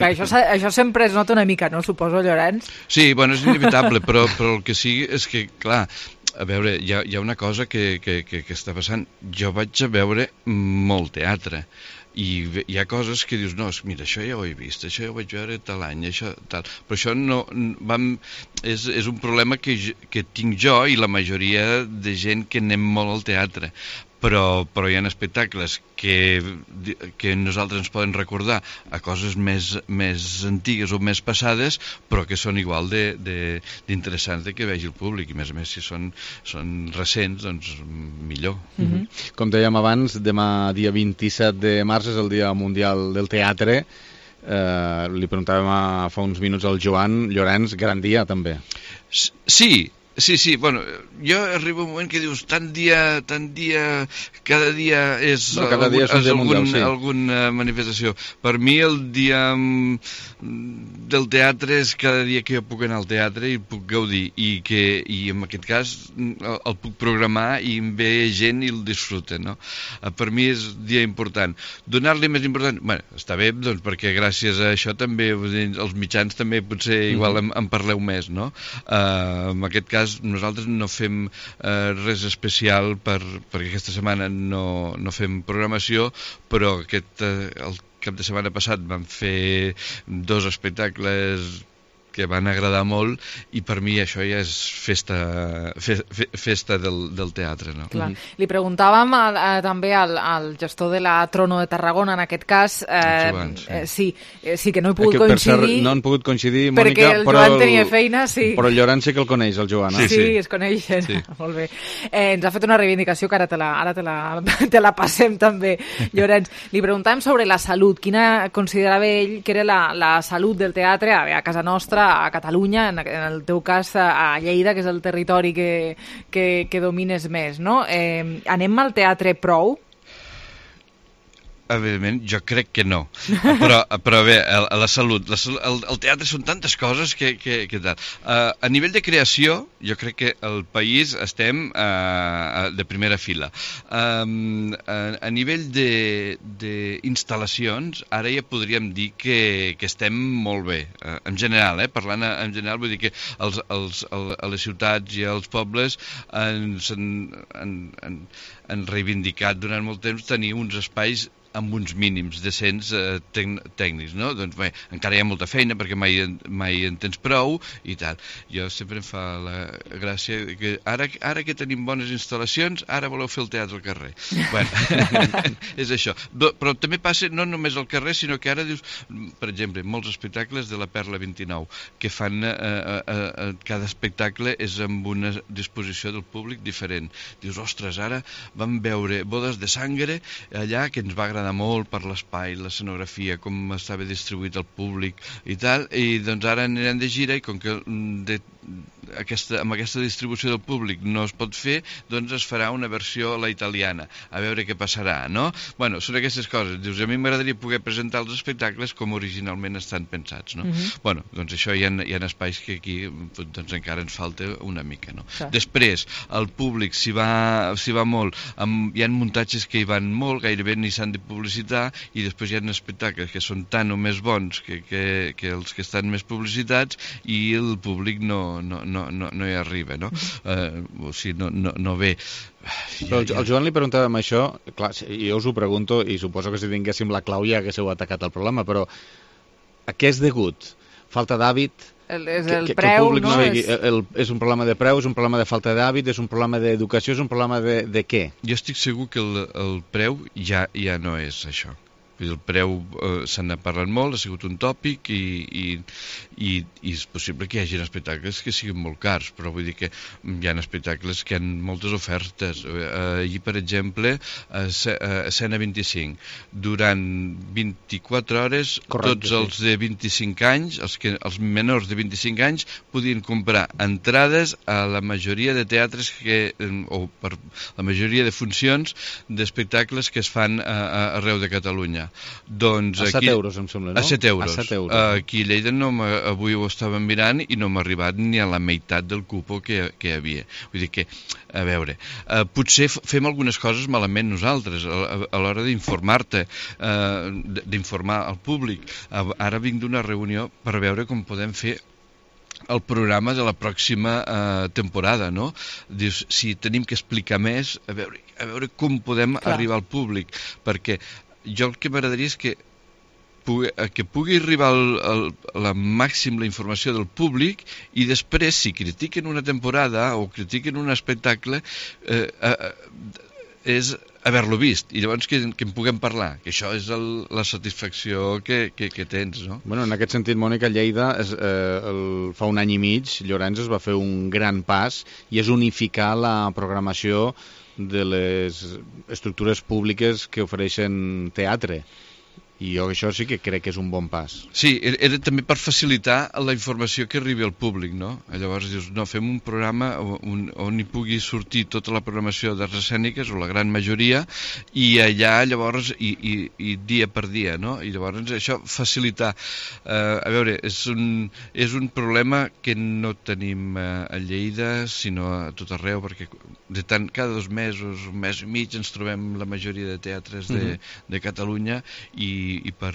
[SPEAKER 3] Això sempre es nota una mica, no? Suposo, Llorenç?
[SPEAKER 25] Sí, bueno, és inevitable, però el que sigui és que, clar, a veure, hi ha una cosa que està passant. Jo vaig a veure molt teatre, i hi ha coses que dius, no, mira, això ja ho he vist, això ja ho vaig veure tal any, això tal, però això no és un problema que tinc jo i la majoria de gent que anem molt al teatre, però hi ha espectacles que nosaltres ens poden recordar a coses més antigues o més passades, però que són igual d'interessants que vegi el públic, i més a més si són recents, doncs millor.
[SPEAKER 16] Com dèiem abans, demà dia 27 de març és el Dia Mundial del Teatre. Li preguntàvem fa uns minuts al Joan. Llorenç, gran dia també.
[SPEAKER 25] Sí, bueno, jo arribo a un moment que dius tant dia, cada dia és alguna manifestació. Per mi el dia del teatre és cada dia que jo puc anar al teatre i puc gaudir, i en aquest cas el puc programar i em ve gent i el disfruta, no? Per mi és dia important. Donar-li més important, bueno, està bé, doncs, perquè gràcies a això també els mitjans també potser igual en parleu més, no? En aquest cas nosaltres no fem res especial perquè aquesta setmana no fem programació, però el cap de setmana passat vam fer 2 espectacles que van agradar molt, i per mi això ja és festa del teatre, no?
[SPEAKER 3] Clar. Li preguntàvem també al gestor de la Trono de Tarragona, en aquest cas, sí, que no he pogut coincidir.
[SPEAKER 16] Per cert, no han pogut coincidir, Mònica,
[SPEAKER 3] perquè el Joan tenia feina, sí.
[SPEAKER 16] Però el Llorenç sí que el coneix, el Joan.
[SPEAKER 3] Sí, es coneixen. Sí. Molt bé. Ens ha fet una reivindicació que ara te la passem també, Llorenç. Li preguntàvem sobre la salut. Quina considerava ell que era la salut del teatre a casa nostra, a Catalunya, en el teu cas a Lleida, que és el territori que domines més, no? Anem al teatre prou?
[SPEAKER 25] Evidentment, jo crec que no. Però bé, la salut, el teatre són tantes coses que tal. A nivell de creació, jo crec que el país estem de primera fila. A nivell d'instal·lacions, ara ja podríem dir que estem molt bé. En general, parlant en general, vull dir que a les ciutats i als pobles han reivindicat durant molt temps tenir uns espais amb uns mínims decents tècnics, no? Doncs bé, encara hi ha molta feina perquè mai en tens prou i tal. Jo sempre em fa la gràcia que ara que tenim bones instal·lacions, ara voleu fer el teatre al carrer. Bueno, és això. Però també passa no només al carrer, sinó que ara dius, per exemple, molts espectacles de la Perla 29, que fan cada espectacle és amb una disposició del públic diferent. Dius, ostres, ara vam veure Bodes de Sangre allà, que ens va agradar molt per l'espai, l'escenografia, com estava distribuït el públic i tal, i doncs ara anirem de gira i com que amb aquesta distribució del públic no es pot fer, doncs es farà una versió a la italiana, a veure què passarà, no? Bueno, són aquestes coses. Dius, a mi m'agradaria poder presentar els espectacles com originalment estan pensats, no? Bueno, doncs això hi ha espais que aquí doncs encara ens falta una mica, no? Després, el públic s'hi va molt, hi ha muntatges que hi van molt, gairebé ni s'han de publicitar, i després hi ha espectacles que són tan o més bons que els que estan més publicitats i el públic no hi arriba, no? O sigui, no ve.
[SPEAKER 16] Però el Joan li preguntàvem això, clar, jo us ho pregunto i suposo que si tinguéssim la clau ja haguéssiu atacat el problema, però a què és degut? Falta d'hàbit?
[SPEAKER 3] És el preu, no?
[SPEAKER 16] És un problema de preu, és un problema de falta d'hàbit, és un problema d'educació, és un problema de què?
[SPEAKER 25] Jo estic segur que el preu ja no és això. El preu se n'ha parlat molt, ha sigut un tòpic i és possible que hi hagi espectacles que siguin molt cars, però vull dir que hi ha espectacles que hi ha moltes ofertes. Allí, per exemple, a Escena 25, durant 24 hores, tots els de 25 anys, els menors de 25 anys, podien comprar entrades a la majoria de teatres o per la majoria de funcions d'espectacles que es fan arreu de Catalunya. Doncs
[SPEAKER 16] a 7 euros, em sembla, no?
[SPEAKER 25] A 7 euros. Aquí a Lleida avui ho estàvem mirant i no m'ha arribat ni a la meitat del cupo que hi havia. Vull dir que, a veure, potser fem algunes coses malament nosaltres a l'hora d'informar-te, d'informar al públic. Ara vinc d'una reunió per veure com podem fer el programa de la pròxima temporada, no? Dius, si tenim que explicar més, a veure com podem arribar al públic, perquè jo el que m'agradaria és que pugui arribar la informació del públic i després, si critiquen una temporada o critiquen un espectacle, és haver-lo vist i llavors que en puguem parlar, que això és la satisfacció que tens, no?
[SPEAKER 16] Bueno, en aquest sentit, Mònica, Lleida fa un any i mig, Llorenç es va fer un gran pas i és unificar la programació de les estructures públiques que ofereixen teatre. I jo això sí que crec que és un bon pas.
[SPEAKER 25] Sí, era també per facilitar la informació que arribi al públic, no? Llavors dius, no, fem un programa on hi pugui sortir tota la programació d'arts escèniques, o la gran majoria, i allà llavors, i dia per dia, no? I llavors això facilitar. A veure, és un problema que no tenim a Lleida, sinó a tot arreu, perquè cada 2 mesos, un mes i mig, ens trobem la majoria de teatres de Catalunya i i per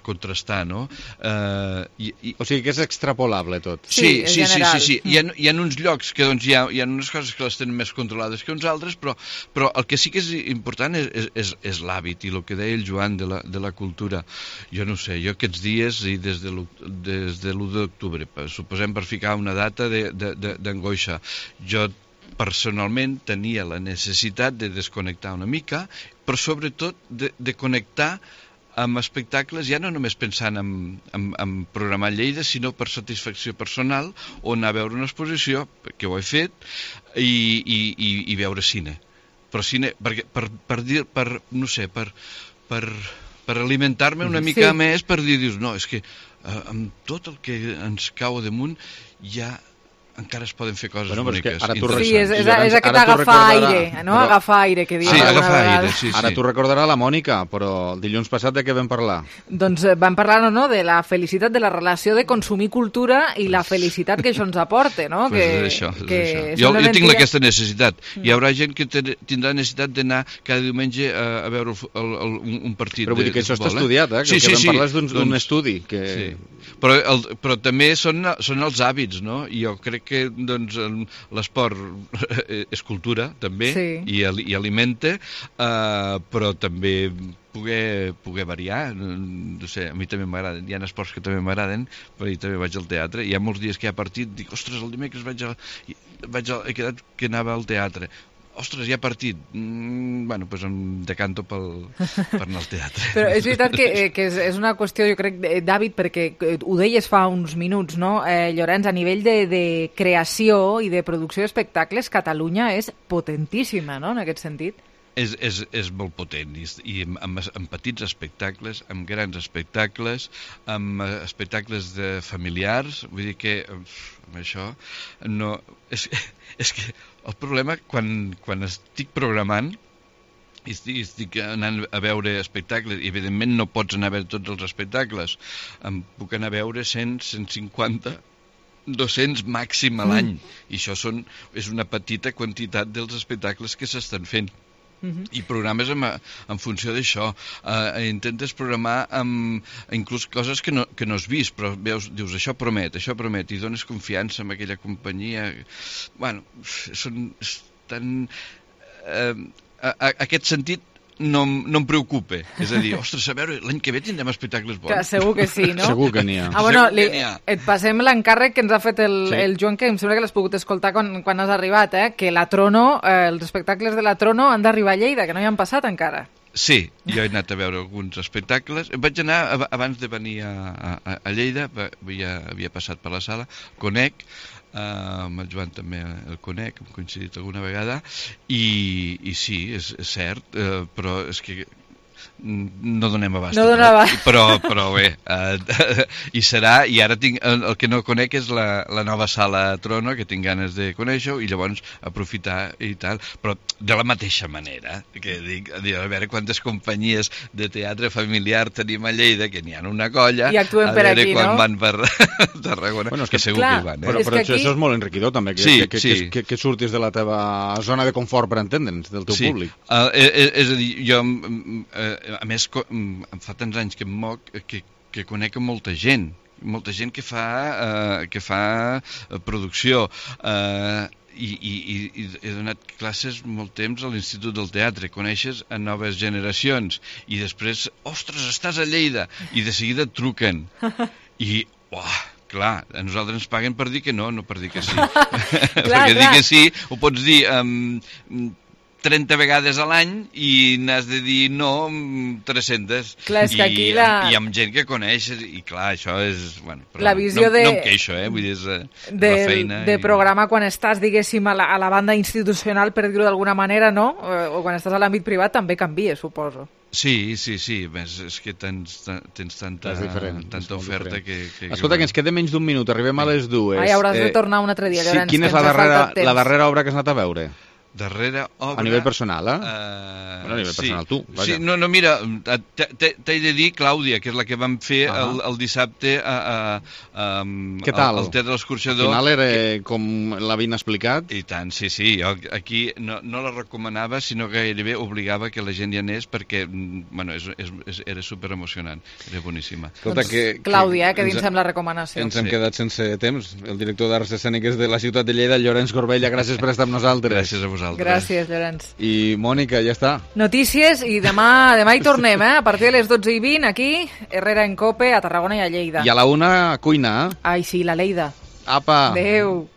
[SPEAKER 25] contrastar, no?
[SPEAKER 16] O sigui que és extrapolable tot.
[SPEAKER 25] Sí. Hi ha uns llocs que doncs, hi ha unes coses que les tenen més controlades que uns altres, però el que sí que és important és l'hàbit i el que deia el Joan de la cultura. Jo no sé, jo aquests dies i des de l'1 d'octubre, suposem per ficar una data d'angoixa, jo personalment tenia la necessitat de desconnectar una mica, però sobretot de connectar amb espectacles, ja no només pensant en programar Lleida, sinó per satisfacció personal, o anar a veure una exposició, que ho he fet, i veure cine. Però cine, per alimentar-me una mica més, per dir, dius, no, és que amb tot el que ens cau damunt ja encara es poden fer coses boniques.
[SPEAKER 3] Sí, és aquest agafar aire, no? Agafar aire, que diem.
[SPEAKER 25] Sí, agafar aire, sí.
[SPEAKER 16] Ara t'ho recordarà la Mònica, però el dilluns passat de què vam parlar?
[SPEAKER 3] Doncs vam parlar, no?, de la felicitat, de la relació de consumir cultura i la felicitat que això ens aporta, no?
[SPEAKER 25] És això. Jo tinc aquesta necessitat. Hi haurà gent que tindrà necessitat d'anar cada diumenge a veure un partit de futbol.
[SPEAKER 16] Però vull dir que això està estudiat, que el que vam parlar és d'un estudi.
[SPEAKER 25] Però també són els hàbits, no? I jo crec que l'esport és cultura, també, i alimenta, però també poder variar. No sé, a mi també m'agraden, hi ha esports que també m'agraden, però jo també vaig al teatre. Hi ha molts dies que hi ha partit, dic, ostres, el dimecres he quedat que anava al teatre. Ostres, hi ha partit. Bueno, doncs em decanto per anar al teatre.
[SPEAKER 3] Però és veritat que és una qüestió, jo crec, d'hàbit, perquè ho deies fa uns minuts, no? Llorenç, a nivell de creació i de producció d'espectacles, Catalunya és potentíssima, no?, en aquest sentit.
[SPEAKER 25] És molt potent, i amb petits espectacles, amb grans espectacles, amb espectacles familiars, vull dir que amb això no... És que el problema, quan estic programant i estic anant a veure espectacles, i evidentment no pots anar a veure tots els espectacles, em puc anar a veure 100, 150, 200 màxim a l'any, i això és una petita quantitat dels espectacles que s'estan fent. I programes en funció d'això. Intentes programar inclús coses que no has vist, però dius, això promet, i dones confiança en aquella companyia. Bueno, són tan... Aquest sentit no em preocupa. És a dir, ostres, a veure, l'any que ve tindrem espectacles bons.
[SPEAKER 3] Segur que sí, no?
[SPEAKER 16] Segur que n'hi ha.
[SPEAKER 3] Et passem l'encàrrec que ens ha fet el Joan, que em sembla que l'has pogut escoltar quan has arribat, que la Trono, els espectacles de la Trono han d'arribar a Lleida, que no hi han passat encara.
[SPEAKER 25] Sí, jo he anat a veure alguns espectacles. Vaig anar, abans de venir a Lleida, havia passat per la sala, conec, amb el Joan també el conec, hem coincidit alguna vegada, i sí, és cert, però és que no donem abast. Però bé, hi serà, i ara el que no conec és la nova sala Trono, que tinc ganes de conèixer-ho, i llavors aprofitar i tal, però de la mateixa manera, que dic, a veure quantes companyies de teatre familiar tenim a Lleida, que n'hi ha una colla,
[SPEAKER 3] i actuem per aquí, no?
[SPEAKER 25] Quan van per Tarragona, bueno, que segur que hi van.
[SPEAKER 16] Però això és molt enriquidor, també, que surtis de la teva zona de confort, per entendre'ns, del teu públic.
[SPEAKER 25] És a dir, jo... A més, em fa tants anys que em moc que conec molta gent que fa producció, i he donat classes molt temps a l'Institut del Teatre, coneixes a noves generacions, i després, ostres, estàs a Lleida, i de seguida et truquen, i, clar, a nosaltres ens paguen per dir que no per dir que sí. Perquè dir que sí ho pots dir 30 vegades a l'any i n'has de dir no 300.
[SPEAKER 3] Clar, és que aquí
[SPEAKER 25] i amb gent que coneix, i clar, això és... Bueno,
[SPEAKER 3] la visió
[SPEAKER 25] no em queixo, vull dir, és la feina.
[SPEAKER 3] De programa quan estàs, diguéssim, a la banda institucional, per dir-ho d'alguna manera, no? O quan estàs a l'àmbit privat també canvia, suposo.
[SPEAKER 25] Sí, és que tens tanta oferta que...
[SPEAKER 16] Escolta, que ens queda menys d'un minut, arribem a les 2.
[SPEAKER 3] Ai, hauràs de tornar un altre dia, Llorenç.
[SPEAKER 16] Quina és la darrera obra que has anat a veure?
[SPEAKER 25] darrera obra...
[SPEAKER 16] A nivell personal, a nivell personal, tu.
[SPEAKER 25] Vaja. Sí, no, mira, t'he de dir, Clàudia, que és la que vam fer el dissabte
[SPEAKER 16] Què tal?
[SPEAKER 25] al Teatre de l'Escorxador.
[SPEAKER 16] Al final era com l'havien explicat?
[SPEAKER 25] I tant, sí. Jo aquí no la recomanava, sinó que gairebé obligava que la gent hi anés perquè, bueno, era superemocionant, era boníssima.
[SPEAKER 3] Escolta, Clàudia, que dins amb la recomanació.
[SPEAKER 16] Ens hem quedat sense temps. El director d'Arts Escèniques de la ciutat de Lleida, Llorenç Corbella, gràcies per estar amb nosaltres.
[SPEAKER 25] Gràcies a vosaltres.
[SPEAKER 3] Gràcies, Llorenç.
[SPEAKER 16] I Mònica, ja està.
[SPEAKER 3] Notícies i demà hi tornem, a partir de les 12:20 aquí, Herrera en Cope, a Tarragona i a Lleida.
[SPEAKER 16] I a la 1 a cuina.
[SPEAKER 3] Ai, sí, la Lleida.
[SPEAKER 16] Apa.
[SPEAKER 3] Adéu.